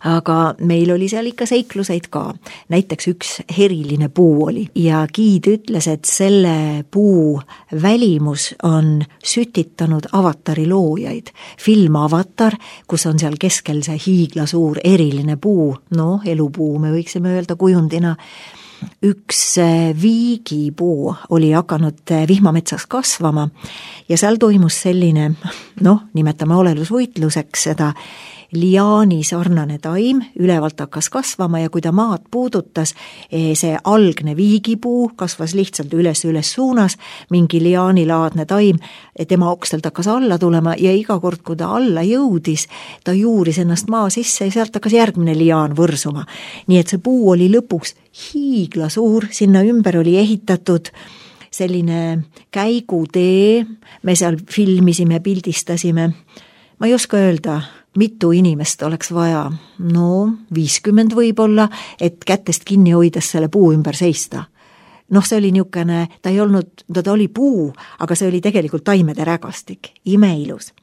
Aga meil oli seal ikka seikluseid ka. Näiteks üks heriline puu oli ja giid ütles, et selle puu välimus on sütitanud Avatari loojaid. Film Avatar, kus on seal keskel see hiiglasuur eriline puu, no elupuu me võiksime öelda kujundina, üks viigipuu oli hakanud vihmametsas kasvama ja seal toimus selline, noh, nimetame olelusvõitluseks seda, liaani sarnane taim, ülevalt hakkas kasvama ja kui ta maad puudutas, see algne viigipuu kasvas lihtsalt üles-üles suunas, mingi liaanilaadne taim, tema okstelt hakkas alla tulema ja iga kord, kui ta alla jõudis, ta juuris ennast maa sisse ja sealt hakkas järgmine liaan võrsuma. Nii et see puu oli lõpuks hiigla suur, sinna ümber oli ehitatud selline käigutee, me seal filmisime, pildistasime. Ma ei oska öelda, mitu inimest oleks vaja, no viiskümmend võib-olla, et kätest kinni hoides selle puu ümber seista. Noh, see oli niisugune, ta ei olnud, ta oli puu, aga see oli tegelikult taimede rägastik, imeilus.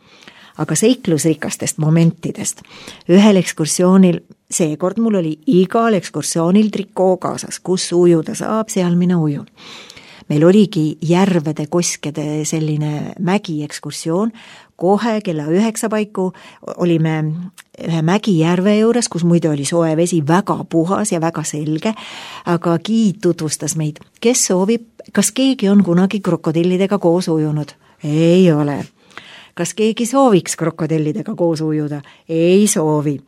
Aga seiklusrikastest momentidest. Ühel ekskursioonil, seekord mul oli igal ekskursioonil trikoo kaasas, kus ujuda saab, seal mina ujun. Meil oligi järvede, koskede selline mägi ekskursioon, kohe kella üheksa paiku olime ühe mägijärve juures, kus muide oli soe vesi väga puhas ja väga selge, aga giid tutvustas meid, kes soovib, kas keegi on kunagi krokodillidega koos ujunud? Ei ole. Kas keegi sooviks krokodillidega koos ujuda? Ei soovi.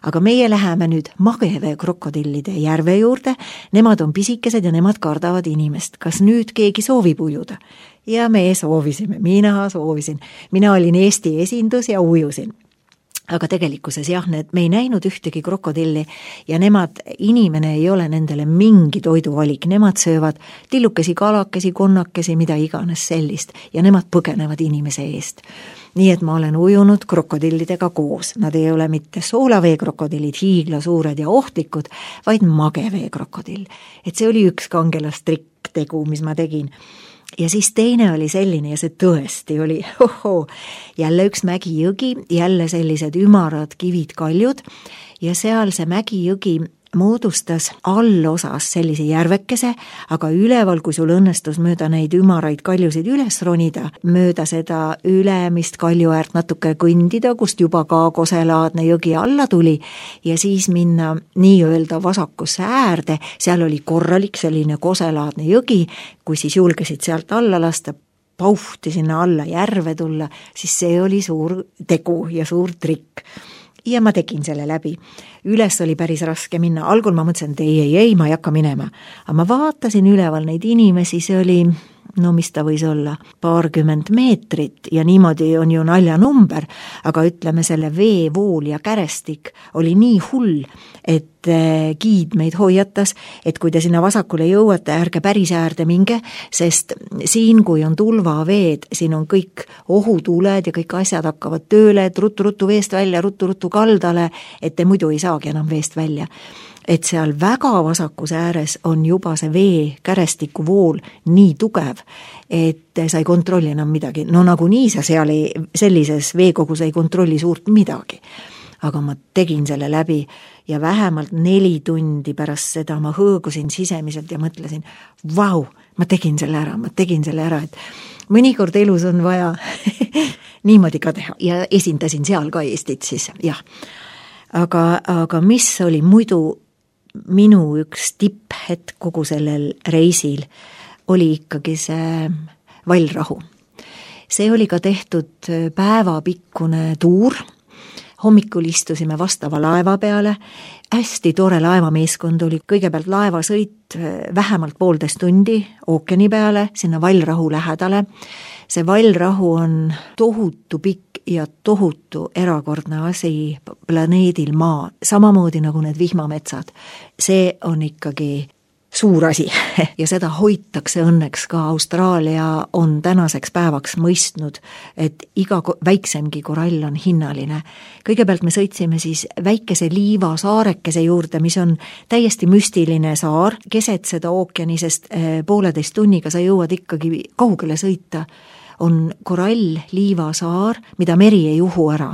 Aga meie läheme nüüd magevee krokodillide järve juurde, nemad on pisikesed ja nemad kardavad inimest. Kas nüüd keegi soovib ujuda? Ja me soovisime, mina soovisin. Mina olin Eesti esindus ja ujusin. Aga tegelikkuses jah, need, me ei näinud ühtegi krokodilli ja nemad, inimene ei ole nendele mingi toiduvalik, nemad söövad tillukesi, kalakesi, konnakesi, mida iganes sellist ja nemad põgenevad inimese eest. Nii et ma olen ujunud krokodillidega koos, nad ei ole mitte soolavee krokodillid, hiigla suured ja ohtlikud, vaid magevee krokodill. Et see oli üks kangelastrikk tegu, mis ma tegin. Ja siis teine oli selline ja see tõesti oli oho, jälle üks mägijõgi, jälle sellised ümarad kivid kaljud ja seal see mägijõgi moodustas allosas sellise järvekese, aga üleval, kui sul õnnestus mööda neid ümaraid kaljusid üles ronida, mööda seda ülemist kaljuäärt natuke kõndida, kust juba ka koselaadne jõgi alla tuli ja siis minna nii-öelda vasakusse äärde, seal oli korralik selline koselaadne jõgi, kui siis julgesid sealt alla lasta, pauhti sinna alla järve tulla, siis see oli suur tegu ja suur trikk. Ja ma tegin selle läbi. Üles oli päris raske minna. Algul ma mõtlesin, et ei, ei, ei, ma ei hakka minema. Aga ma vaatasin üleval neid inimesi, see oli, no mis ta võis olla, paarkümmend meetrit ja niimoodi on ju naljanumber, aga ütleme selle veevool ja kärestik oli nii hull, et giid meid hoiatas, et kui te sinna vasakule jõuate, ärge päris äärde minge, sest siin, kui on tulvaveed, siin on kõik ohutuled ja kõik asjad hakkavad tööle, et ruttu-ruttu veest välja, ruttu-ruttu kaldale, et te muidu ei saagi enam veest välja. Et seal väga vasakus ääres on juba see vee kärestiku vool nii tugev, et sa ei kontrolli enam midagi. No nagu nii sa seal ei, sellises veekogus ei kontrolli suurt midagi. Aga ma tegin selle läbi ja vähemalt neli tundi pärast seda ma hõõgusin sisemiselt ja mõtlesin, vau, ma tegin selle ära, ma tegin selle ära, et mõnikord elus on vaja niimoodi ka teha ja esindasin seal ka Eestit siis, jah. Aga, aga mis oli muidu minu üks tipphetk kogu sellel reisil, oli ikkagi see vallrahu. See oli ka tehtud päevapikkune tuur, hommikul istusime vastava laeva peale, hästi tore laevameeskond oli, kõigepealt laevasõit vähemalt poolteist tundi ookeani peale, sinna vallrahu lähedale. See vallrahu on tohutu pikk ja tohutu erakordne asi planeedil Maa, samamoodi nagu need vihmametsad. See on ikkagi suur asi ja seda hoitakse õnneks ka. Austraalia on tänaseks päevaks mõistnud, et iga väiksemgi korall on hinnaline. Kõigepealt me sõitsime siis väikese liiva saarekese juurde, mis on täiesti müstiline saar, keset seda ookeani, sest pooleteist tunniga sa jõuad ikkagi kaugele sõita. On korall liiva saar, mida meri ei uhu ära.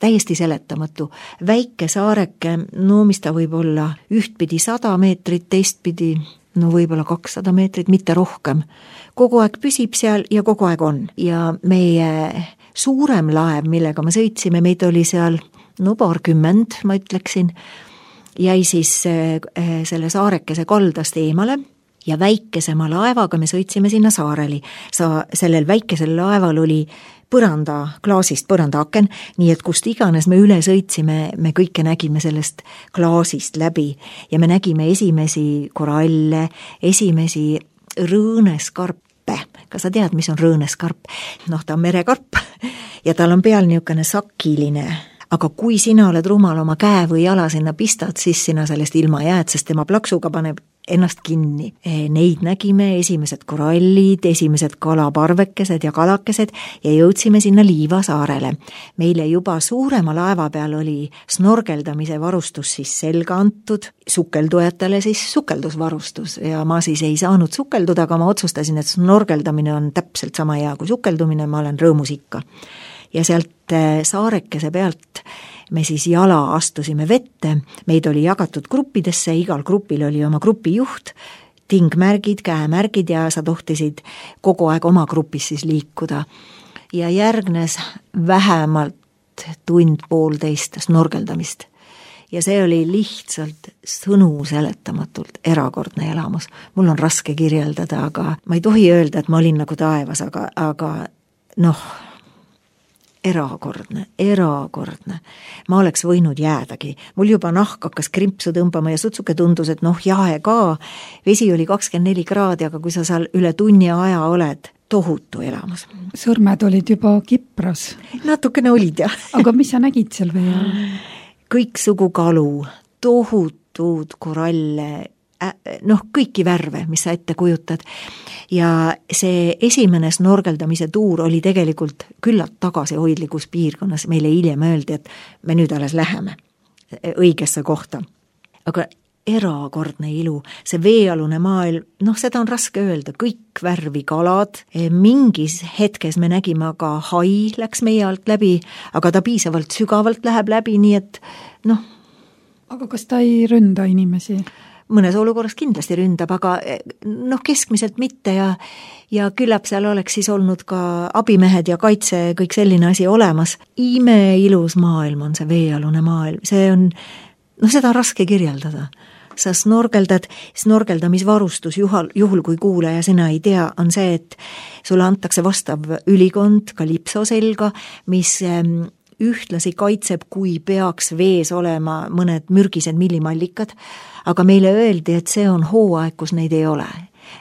Täiesti seletamatu. Väike saareke, no mis ta võib olla, ühtpidi sada meetrit, teistpidi, no võib-olla kakssada meetrit, mitte rohkem. Kogu aeg püsib seal ja kogu aeg on. Ja meie suurem laev, millega me sõitsime, meid oli seal, no paarkümmend, ma ütleksin, jäi siis selle saarekese kaldast eemale ja väikesema laevaga me sõitsime sinna saareli. Sa, sellel väikesel laeval oli põranda, klaasist põrandaaken, nii et kust iganes me üle sõitsime, me kõike nägime sellest klaasist läbi ja me nägime esimesi koralle, esimesi rõõneskarpe. Kas sa tead, mis on rõõneskarp? Noh, ta on merekarp ja tal on peal niisugune sakiline, aga kui sina oled rumal oma käe või jala sinna pistad, siis sina sellest ilma jääd, sest tema plaksuga paneb ennast kinni. Neid nägime, esimesed korallid, esimesed kalaparvekesed ja kalakesed ja jõudsime sinna Liiva saarele. Meile juba suurema laeva peal oli snorgeldamise varustus siis selga antud, sukeldujatele siis sukeldusvarustus ja ma siis ei saanud sukelduda, aga ma otsustasin, et snorgeldamine on täpselt sama hea kui sukeldumine, ma olen rõõmus ikka. Ja sealt saarekese pealt me siis jala astusime vette, meid oli jagatud gruppidesse, igal grupil oli oma grupijuht, tingmärgid, käemärgid ja sa tohtisid kogu aeg oma grupis siis liikuda. Ja järgnes vähemalt tund poolteist snorgeldamist. Ja see oli lihtsalt sõnu seletamatult erakordne elamus. Mul on raske kirjeldada, aga ma ei tohi öelda, et ma olin nagu taevas, aga, aga noh, erakordne, erakordne. Ma oleks võinud jäädagi. Mul juba nahk hakkas krimpsu tõmbama ja sutsuke tundus, et noh, jahe ka. Vesi oli kakskümmend neli kraadi, aga kui sa seal üle tunni aja oled, tohutu elamus. Sõrmed olid juba kipras. Natukene olid, jah. Aga mis sa nägid seal vee all? Kõik sugu kalu, tohutud koralle, noh, kõiki värve, mis sa ette kujutad. Ja see esimene snorgeldamise tuur oli tegelikult küllalt tagasihoidlikus piirkonnas. Meile hiljem öeldi, et me nüüd alles läheme õigesse kohta. Aga erakordne ilu, see veealune maailm, noh, seda on raske öelda, kõik värvi kalad. Mingis hetkes me nägime aga hai läks meie alt läbi, aga ta piisavalt sügavalt läheb läbi, nii et noh. Aga kas ta ei ründa inimesi? Mõnes olukorras kindlasti ründab, aga noh, keskmiselt mitte ja, ja küllap seal oleks siis olnud ka abimehed ja kaitse, kõik selline asi olemas. Ime ilus maailm on see veealune maailm, see on, noh, seda on raske kirjeldada. Sa snorgeldad, snorgeldamisvarustus juhul, juhul kui kuulaja sina ei tea, on see, et sulle antakse vastav ülikond kalipso selga, mis ühtlasi kaitseb, kui peaks vees olema mõned mürgised millimallikad, aga meile öeldi, et see on hooaeg, kus neid ei ole.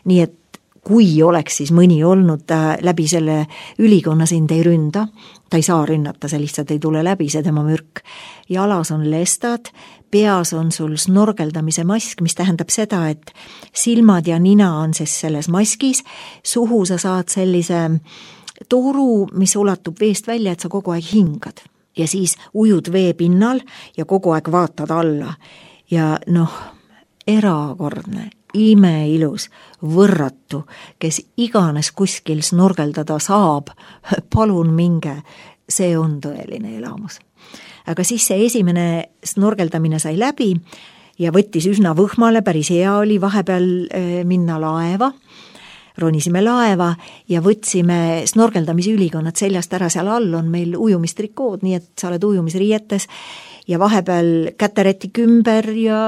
Nii et kui oleks siis mõni olnud, ta läbi selle ülikonna sind ei ründa, ta ei saa rünnata, see lihtsalt ei tule läbi, see tema mürk. Jalas on lestad, peas on sul snorgeldamise mask, mis tähendab seda, et silmad ja nina on siis selles maskis, suhu sa saad sellise toru, mis ulatub veest välja, et sa kogu aeg hingad. Ja siis ujud vee pinnal ja kogu aeg vaatad alla. Ja noh, erakordne, imeilus, võrratu, kes iganes kuskil snorgeldada saab, palun minge, see on tõeline elamus. Aga siis see esimene snorgeldamine sai läbi ja võttis üsna võhmale, päris hea oli vahepeal minna laeva, ronisime laeva ja võtsime snorgeldamise ülikonnad seljast ära, seal all on meil ujumistrikood, nii et sa oled ujumisriietes ja vahepeal käteräti kümber ja,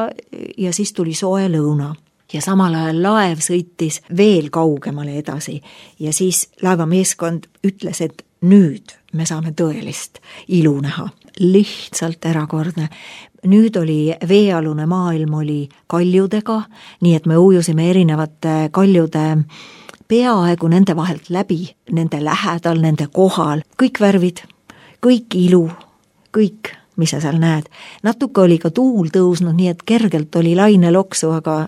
ja siis tuli soe lõuna. Ja samal ajal laev sõitis veel kaugemale edasi ja siis laevameeskond ütles, et nüüd me saame tõelist ilu näha. Lihtsalt erakordne. Nüüd oli veealune maailm oli kaljudega, nii et me ujusime erinevate kaljude peaaegu nende vahelt läbi, nende lähedal, nende kohal, kõik värvid, kõik ilu, kõik, mis sa seal näed. Natuke oli ka tuul tõusnud, nii et kergelt oli laine loksu, aga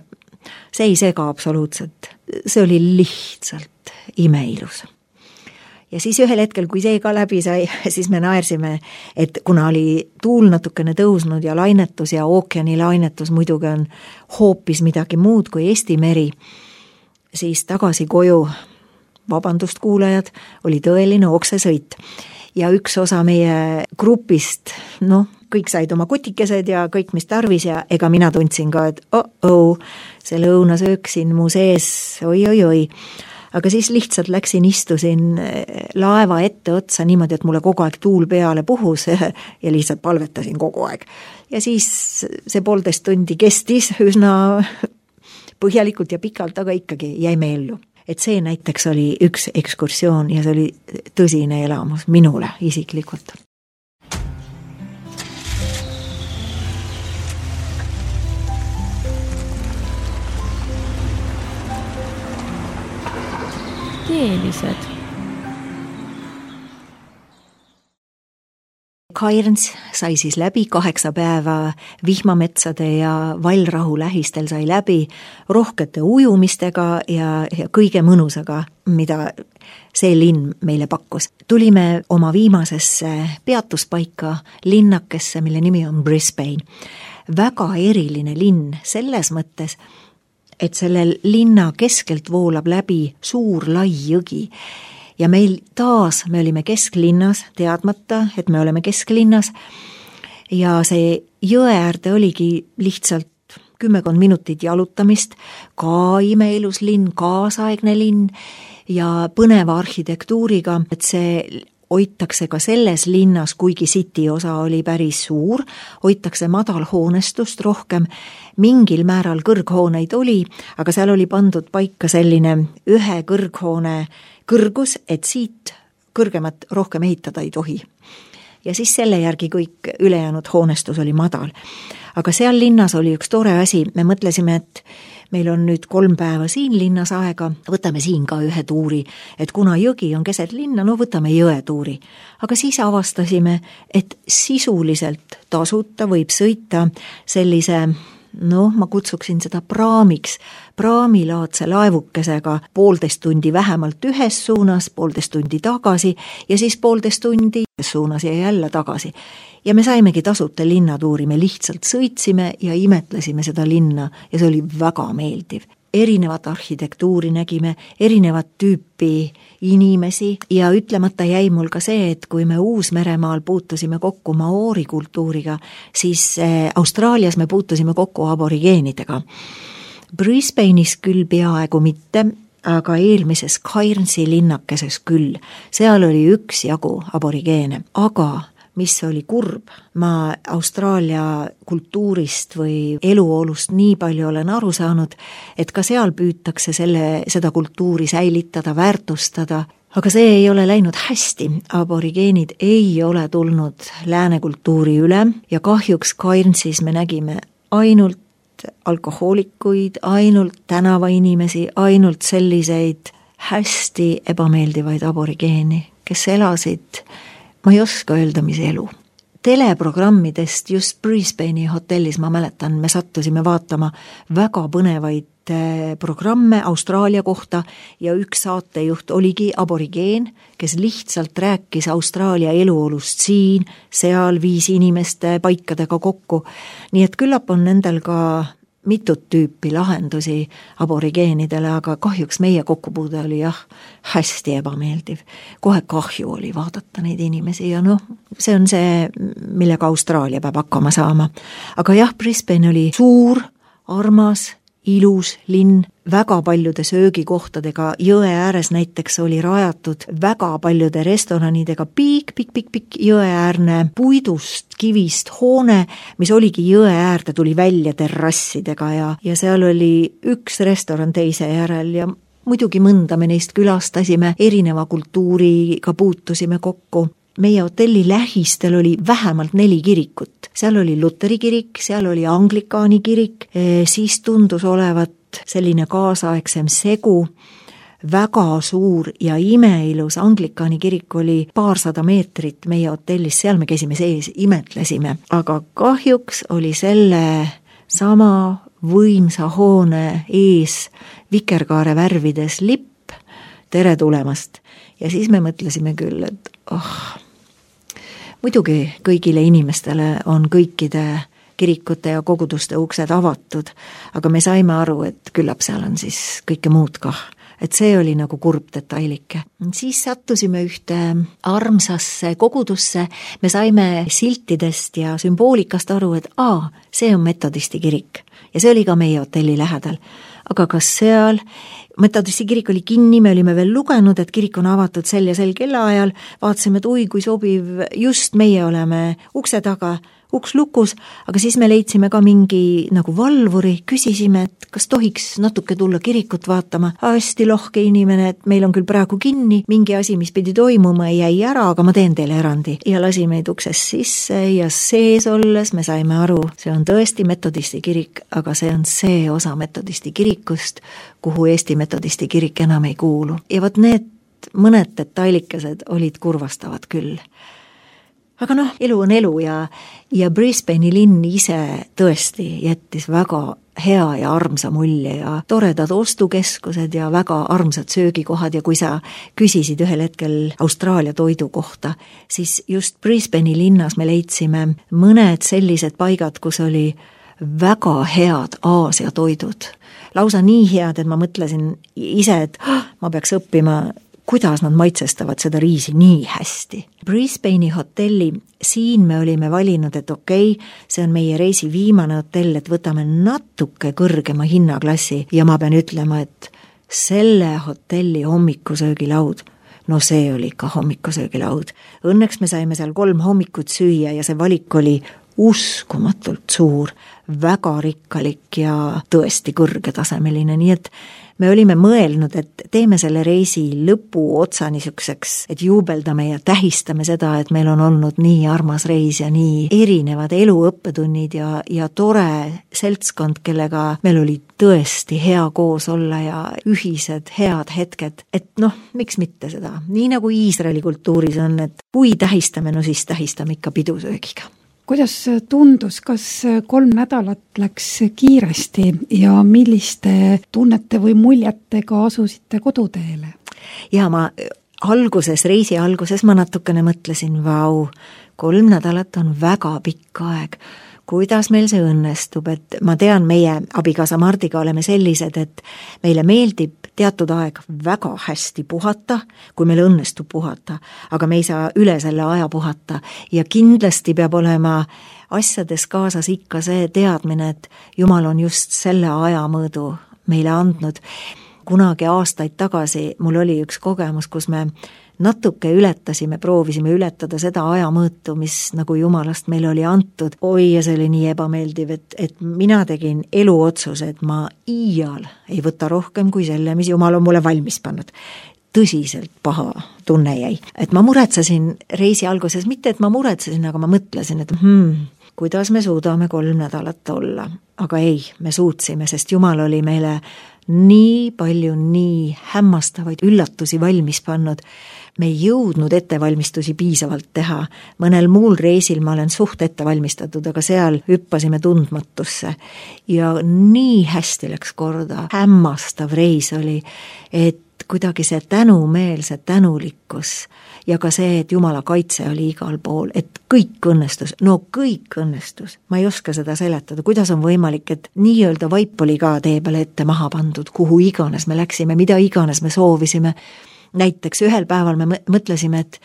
see ei sega absoluutselt. See oli lihtsalt imeilus. Ja siis ühel hetkel, kui see ka läbi sai, siis me naersime, et kuna oli tuul natukene tõusnud ja lainetus ja ookeani lainetus muidugi on hoopis midagi muud kui Eesti meri, siis tagasi koju, vabandust kuulajad, oli tõeline oksesõit. Ja üks osa meie grupist, noh, kõik said oma kutikesed ja kõik, mis tarvis ja ega mina tundsin ka, et oh-oh, see lõunasöök siin mu sees, oi-oi-oi. Aga siis lihtsalt läksin, istusin laeva ette otsa niimoodi, et mulle kogu aeg tuul peale puhus ja lihtsalt palvetasin kogu aeg. Ja siis see poolteist tundi kestis üsna põhjalikult ja pikalt, aga ikkagi jäime ellu. Et see näiteks oli üks ekskursioon ja see oli tõsine elamus minule isiklikult. Teelised. Cairns sai siis läbi, kaheksa päeva vihmametsade ja vallrahu lähistel sai läbi rohkete ujumistega ja, ja kõige mõnusaga, mida see linn meile pakkus. Tulime oma viimasesse peatuspaika linnakesse, mille nimi on Brisbane. Väga eriline linn selles mõttes, et selle linna keskelt voolab läbi suur lai jõgi. Ja meil taas, me olime kesklinnas, teadmata, et me oleme kesklinnas ja see jõe äärde oligi lihtsalt kümmekond minutit jalutamist, ka imeilus linn, kaasaegne linn ja põneva arhitektuuriga, et see hoitakse ka selles linnas, kuigi city osa oli päris suur, hoitakse madalhoonestust rohkem, mingil määral kõrghooneid oli, aga seal oli pandud paika selline ühe kõrghoone kõrgus, et siit kõrgemat rohkem ehitada ei tohi. Ja siis selle järgi kõik ülejäänud hoonestus oli madal. Aga seal linnas oli üks tore asi, me mõtlesime, et meil on nüüd kolm päeva siin linnas aega, võtame siin ka ühe tuuri, et kuna jõgi on keset linna, no võtame jõe tuuri. Aga siis avastasime, et sisuliselt tasuta võib sõita sellise, noh, ma kutsuksin seda praamiks, praamilaadse laevukesega poolteist tundi vähemalt ühes suunas, poolteist tundi tagasi ja siis poolteist tundi suunas ja jälle tagasi. Ja me saimegi tasuta linnatuuri, me lihtsalt sõitsime ja imetlesime seda linna ja see oli väga meeldiv. Erinevat arhitektuuri nägime, erinevat tüüpi inimesi ja ütlemata jäi mul ka see, et kui me Uus-Meremaal puutusime kokku maoori kultuuriga, siis Austraalias me puutusime kokku aborigeenidega. Brisbane'is küll peaaegu mitte, aga eelmises Cairnsi linnakeses küll. Seal oli üks jagu aborigeene, aga mis oli kurb, ma Austraalia kultuurist või eluolust nii palju olen aru saanud, et ka seal püütakse selle, seda kultuuri säilitada, väärtustada, aga see ei ole läinud hästi. Aborigeenid ei ole tulnud lääne kultuuri üle ja kahjuks Cairnsis me nägime ainult alkohoolikuid, ainult tänavainimesi, ainult selliseid hästi ebameeldivaid aborigeeni, kes elasid, ma ei oska öelda, mis elu. Teleprogrammidest just Brisbane'i hotellis, ma mäletan, me sattusime vaatama väga põnevaid programme Austraalia kohta ja üks saatejuht oligi aborigeen, kes lihtsalt rääkis Austraalia eluolust siin, seal viis inimeste paikadega kokku. Nii et küllap on nendel ka mitut tüüpi lahendusi aborigeenidele, aga kahjuks meie kokkupuude oli jah, hästi ebameeldiv. Kohe kahju oli vaadata neid inimesi ja noh, see on see, millega Austraalia peab hakkama saama. Aga jah, Brisbane oli suur, armas, ilus linn, väga paljude söögikohtadega, jõe ääres näiteks oli rajatud väga paljude restoranidega pikk, pikk, pikk, pikk jõeäärne puidust, kivist hoone, mis oligi jõe äärde, tuli välja terrassidega ja, ja seal oli üks restoran teise järel ja muidugi mõnda me neist külastasime, erineva kultuuriga puutusime kokku. Meie hotelli lähistel oli vähemalt neli kirikut. Seal oli Luteri kirik, seal oli Anglikaani kirik, siis tundus olevat selline kaasaegsem segu, väga suur ja imeilus Anglikaani kirik oli paarsada meetrit meie hotellis, seal me käisime sees, imetlesime. Aga kahjuks oli selle sama võimsa hoone ees vikerkaare värvides lipp, tere tulemast. Ja siis me mõtlesime küll, et oh, muidugi kõigile inimestele on kõikide kirikute ja koguduste uksed avatud, aga me saime aru, et küllap seal on siis kõike muud kah. Et see oli nagu kurb detailike. Siis sattusime ühte armsasse kogudusse, me saime siltidest ja sümboolikast aru, et aa, see on metodisti kirik ja see oli ka meie hotelli lähedal. Aga kas seal, metodisti kirik oli kinni, me olime veel lugenud, et kirik on avatud sel ja sel kellaajal, vaatasime, et oi, kui sobiv, just meie oleme ukse taga, uks lukus, aga siis me leidsime ka mingi nagu valvuri, küsisime, et kas tohiks natuke tulla kirikut vaatama. Hästi lohke inimene, et meil on küll praegu kinni, mingi asi, mis pidi toimuma, jäi ära, aga ma teen teile erandi. Ja lasi meid uksest sisse ja sees olles me saime aru, see on tõesti metodisti kirik, aga see on see osa metodisti kirikust, kuhu Eesti metodisti kirik enam ei kuulu. Ja võt need mõned detailikesed olid kurvastavad küll. Aga noh, elu on elu ja, ja Brisbane'i linn ise tõesti jättis väga hea ja armsa mulje ja toredad ostukeskused ja väga armsad söögikohad ja kui sa küsisid ühel hetkel Austraalia toidu kohta, siis just Brisbane'i linnas me leidsime mõned sellised paigad, kus oli väga head Aasia toidud. Lausa nii head, et ma mõtlesin ise, et ma peaks õppima kuidas nad maitsestavad seda riisi nii hästi. Brisbane'i hotelli, siin me olime valinud, et okei, okay, see on meie reisi viimane hotell, et võtame natuke kõrgema hinnaklassi ja ma pean ütlema, et selle hotelli hommikusöögilaud, no see oli ikka hommikusöögilaud. Õnneks me saime seal kolm hommikut süüa ja see valik oli uskumatult suur, väga rikkalik ja tõesti kõrgetasemeline, nii et me olime mõelnud, et teeme selle reisi lõpu otsa niisuguseks, et juubeldame ja tähistame seda, et meil on olnud nii armas reis ja nii erinevad eluõppetunnid ja, ja tore seltskond, kellega meil oli tõesti hea koos olla ja ühised head hetked, et noh, miks mitte seda. Nii nagu Iisraeli kultuuris on, et kui tähistame, no siis tähistame ikka pidusöögiga. Kuidas tundus, kas kolm nädalat läks kiiresti ja milliste tunnete või muljetega asusite koduteele? Ja ma alguses, reisi alguses ma natukene mõtlesin, vau, kolm nädalat on väga pikk aeg. Kuidas meil see õnnestub, et ma tean, meie abikaasa Mardiga oleme sellised, et meile meeldib teatud aeg väga hästi puhata, kui meil õnnestub puhata, aga me ei saa üle selle aja puhata ja kindlasti peab olema asjades kaasas ikka see teadmine, et Jumal on just selle aja mõõdu meile andnud. Kunagi aastaid tagasi mul oli üks kogemus, kus me natuke ületasime, proovisime ületada seda ajamõõtu, mis nagu Jumalast meile oli antud. Oi, ja see oli nii ebameeldiv, et, et mina tegin eluotsuse, et ma iial ei võta rohkem kui selle, mis Jumal on mulle valmis pannud. Tõsiselt paha tunne jäi. Et ma muretsesin reisi alguses, mitte et ma muretsesin, aga ma mõtlesin, et hmm, kuidas me suudame kolm nädalat olla. Aga ei, me suutsime, sest Jumal oli meile nii palju, nii hämmastavaid üllatusi valmis pannud. Me ei jõudnud ettevalmistusi piisavalt teha. Mõnel muul reisil ma olen suht ettevalmistatud, aga seal hüppasime tundmatusse. Ja nii hästi läks korda. Hämmastav reis oli, et kuidagi see tänumeel, see tänulikkus ja ka see, et Jumala kaitse oli igal pool, et kõik õnnestus, no kõik õnnestus. Ma ei oska seda seletada, kuidas on võimalik, et nii-öelda vaip oli ka tee peale ette maha pandud, kuhu iganes me läksime, mida iganes me soovisime. Näiteks ühel päeval me mõtlesime, et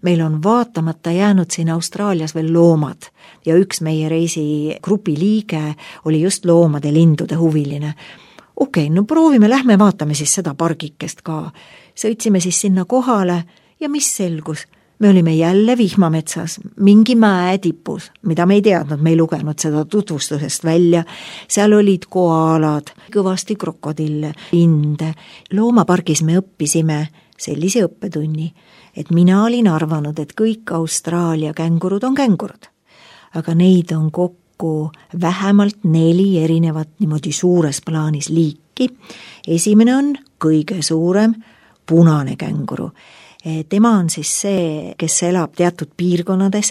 meil on vaatamata jäänud siin Austraalias veel loomad ja üks meie reisi grupi liige oli just loomade lindude huviline. Okei, okay, no proovime, lähme vaatame siis seda pargikest ka. Sõitsime siis sinna kohale ja mis selgus? Me olime jälle vihmametsas, mingi mäe tipus, mida me ei teadnud, me ei lugenud seda tutvustusest välja. Seal olid koalad, kõvasti krokodille, linde. Loomapargis me õppisime sellise õppetunni, et mina olin arvanud, et kõik Austraalia kängurud on kängurud, aga neid on kokku vähemalt neli erinevat niimoodi suures plaanis liiki. Esimene on kõige suurem punane känguru. Tema on siis see, kes elab teatud piirkonnades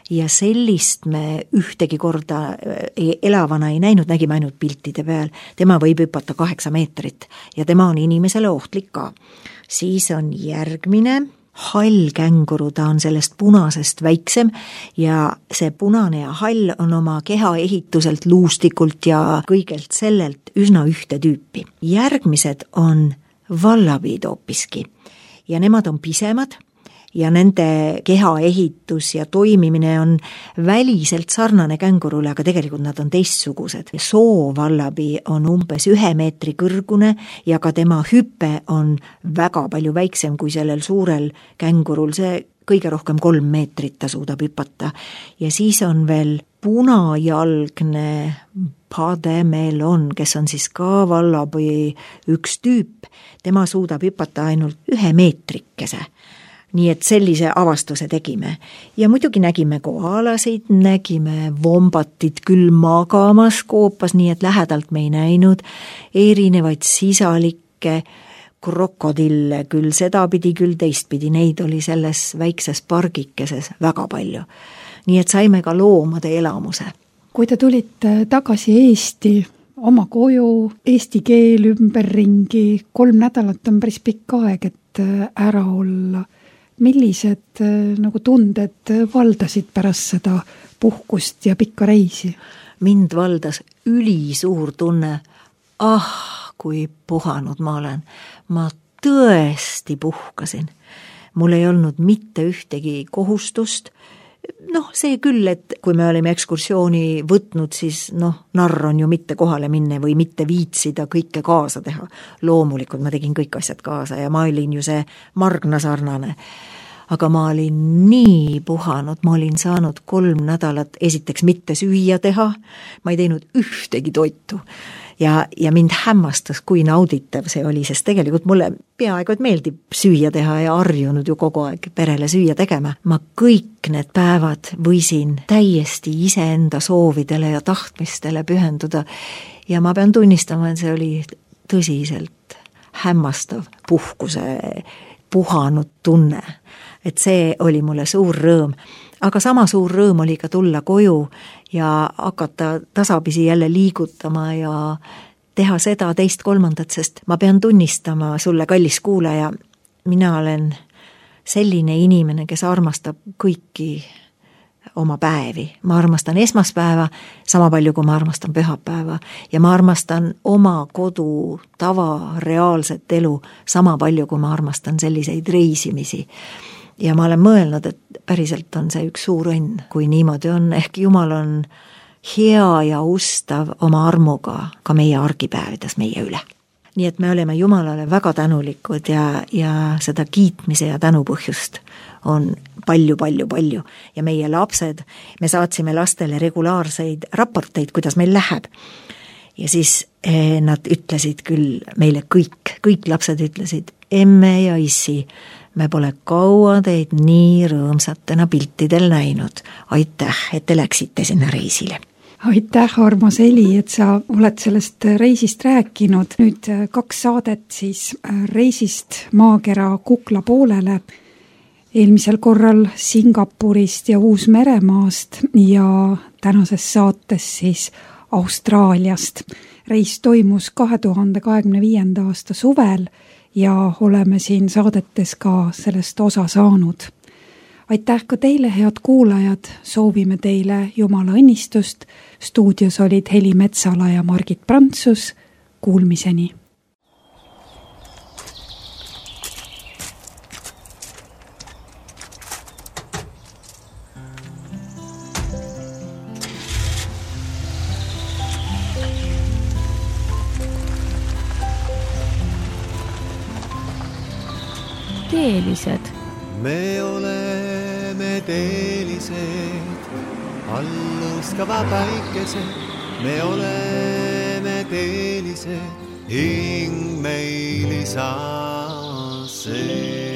ja sellist me ühtegi korda elavana ei näinud, nägime ainult piltide peal. Tema võib hüpata kaheksa meetrit ja tema on inimesele ohtlik ka. Siis on järgmine hall känguru, ta on sellest punasest väiksem ja see punane ja hall on oma keha ehituselt, luustikult ja kõigelt sellelt üsna ühte tüüpi. Järgmised on vallabiid hoopiski ja nemad on pisemad ja nende keha ehitus ja toimimine on väliselt sarnane kängurule, aga tegelikult nad on teistsugused. Soovallabi on umbes ühe meetri kõrgune ja ka tema hüpe on väga palju väiksem kui sellel suurel kängurul, see kõige rohkem kolm meetrit ta suudab hüpata. Ja siis on veel punajalgne Pademelon, kes on siis ka vallapõi üks tüüp, tema suudab hüpata ainult ühe meetrikese. Nii et sellise avastuse tegime. Ja muidugi nägime koalasid, nägime vombatit küll magamas koopas, nii et lähedalt me ei näinud, erinevaid sisalikke, krokodille küll sedapidi, küll teistpidi, neid oli selles väikses pargikeses väga palju. Nii et saime ka loomade elamuse. Kui te tulite tagasi Eesti, oma koju, eesti keel ümberringi, kolm nädalat on päris pikk aeg, et ära olla. Millised nagu tunded valdasid pärast seda puhkust ja pikka reisi? Mind valdas ülisuur tunne, ah, kui puhanud ma olen. Ma tõesti puhkasin. Mul ei olnud mitte ühtegi kohustust. Noh, see küll, et kui me olime ekskursiooni võtnud, siis noh, narr on ju mitte kohale minne või mitte viitsida kõike kaasa teha. Loomulikult ma tegin kõik asjad kaasa ja ma olin ju see Margna sarnane. Aga ma olin nii puhanud, ma olin saanud kolm nädalat esiteks mitte süüa teha, ma ei teinud ühtegi toitu. Ja, ja mind hämmastas, kui nauditav see oli, sest tegelikult mulle peaaegu et meeldib süüa teha ja harjunud ju kogu aeg perele süüa tegema. Ma kõik need päevad võisin täiesti iseenda soovidele ja tahtmistele pühenduda ja ma pean tunnistama, et see oli tõsiselt hämmastav puhkuse puhanud tunne. Et see oli mulle suur rõõm. Aga sama suur rõõm oli ka tulla koju ja hakata tasapisi jälle liigutama ja teha seda teist kolmandat, sest ma pean tunnistama sulle, kallis kuulaja, mina olen selline inimene, kes armastab kõiki oma päevi. Ma armastan esmaspäeva sama palju, kui ma armastan pühapäeva ja ma armastan oma kodu tava reaalset elu sama palju, kui ma armastan selliseid reisimisi. Ja ma olen mõelnud, et päriselt on see üks suur õnn, kui niimoodi on, ehk Jumal on hea ja ustav oma armuga ka meie argipäevides meie üle. Nii et me oleme Jumalale väga tänulikud ja, ja seda kiitmise ja tänupõhjust on palju, palju, palju. Ja meie lapsed, me saatsime lastele regulaarseid raporteid, kuidas meil läheb. Ja siis eh, nad ütlesid küll meile kõik, kõik lapsed ütlesid, emme ja issi, me pole kaua teid nii rõõmsatena piltidel näinud. Aitäh, et te läksite sinna reisile. Aitäh, armas Eli, et sa oled sellest reisist rääkinud. Nüüd kaks saadet siis reisist maakera Kukla poolele. Eelmisel korral Singapurist ja Uus-Meremaast ja tänases saates siis Austraaliast. Reis toimus kahe tuhande kahekümne viienda aasta suvel ja oleme siin saadetes ka sellest osa saanud. Aitäh ka teile, head kuulajad, soovime teile Jumala õnnistust. Stuudios olid Heli Metsala ja Margit Prantsus. Kuulmiseni! Teelised. Me oleme teelised, alluskava päikesed. Me oleme teelised, hing meil isa see.